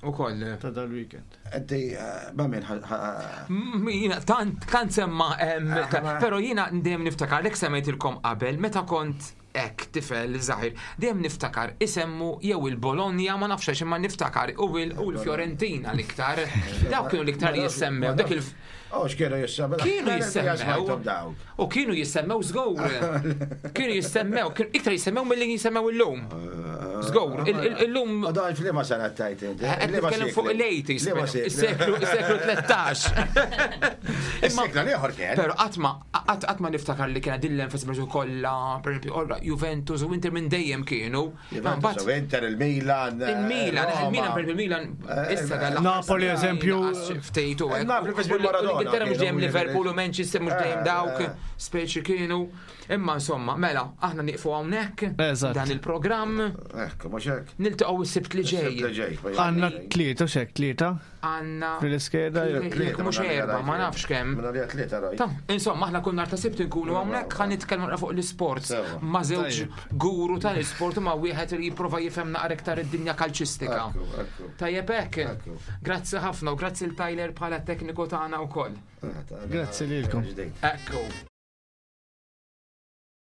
Ukoll. ta' dal-weekend. Inti, eh, ma min ħa- ħa- Mm, Jiena, tant, tant semma, em, Ah, ta- ma- pero jiena dejjem niftakar, lek semmejtilkom qabel, meta kont hekk tifel żgħir, dejjem niftakar isemmu jew il-Bologna, ma nafx għax imma niftakar u il- u l-Fiorentina l-iktar. Dawk kienu l-iktar jissemmew, dak il Oh, x'kienu jissemmew? Kienu jissemmew. Dawk. U kienu jissemmew żgur. Kienu jissemmew, kienu iktar jissemmew milli jissemmew illum. Żgur, il- il- illum U dan f'liema sena tajt inti? Qed Liema nitkellem fuq seklu? il-eighties, Liema però, seklu? is-seklu is-seklu tlettax. Imma Is-seklu l-ieħor kien. Pero qatt ma qatt ma niftakar li kien din l-enfasi per eżempju kollha, per eżempju, orra Juventus u Inter minn dejjem kienu. Juventus u Inter, il-Milan. eh, Il-Milan, Roma. il-Milan per il-Milan issa dal Napoli, eżempju. Ftejtu hekk. Napoli fi żmien U Maradona L-Ingilterra mhux dejjem kienu, Liverpool u Manchester mhux dejjem Eh, dawk eh. speċi kienu. Imma insomma, mela, aħna nieqfu hawnhekk Eżatt. dan il-programm Ekku, mhux hekk. niltaqgħu s-Sibt li Is-Sibt li ġej. ġej. Għandna tlieta u xek tlieta Għandna fil-iskeda. Jekk mhux erba', ma nafx kemm. Minna li tlieta rajt. Ta' insomma, aħna kull nhar ta' Sibt nkunu hawnhekk ħa nitkellmu naqra fuq l-isports Sewa. ma' żewġ Tajjeb. guru tal-isport u ma' wieħed li jipprova jifhem naqra iktar id-dinja kalċistika. Ekku, ekku. Tajjeb hekk. Ekku. Grazzi ħafna u grazzi l Tyler bħala tekniku tagħna wkoll. Grazzi lilkom. Ġdejt. Ekku.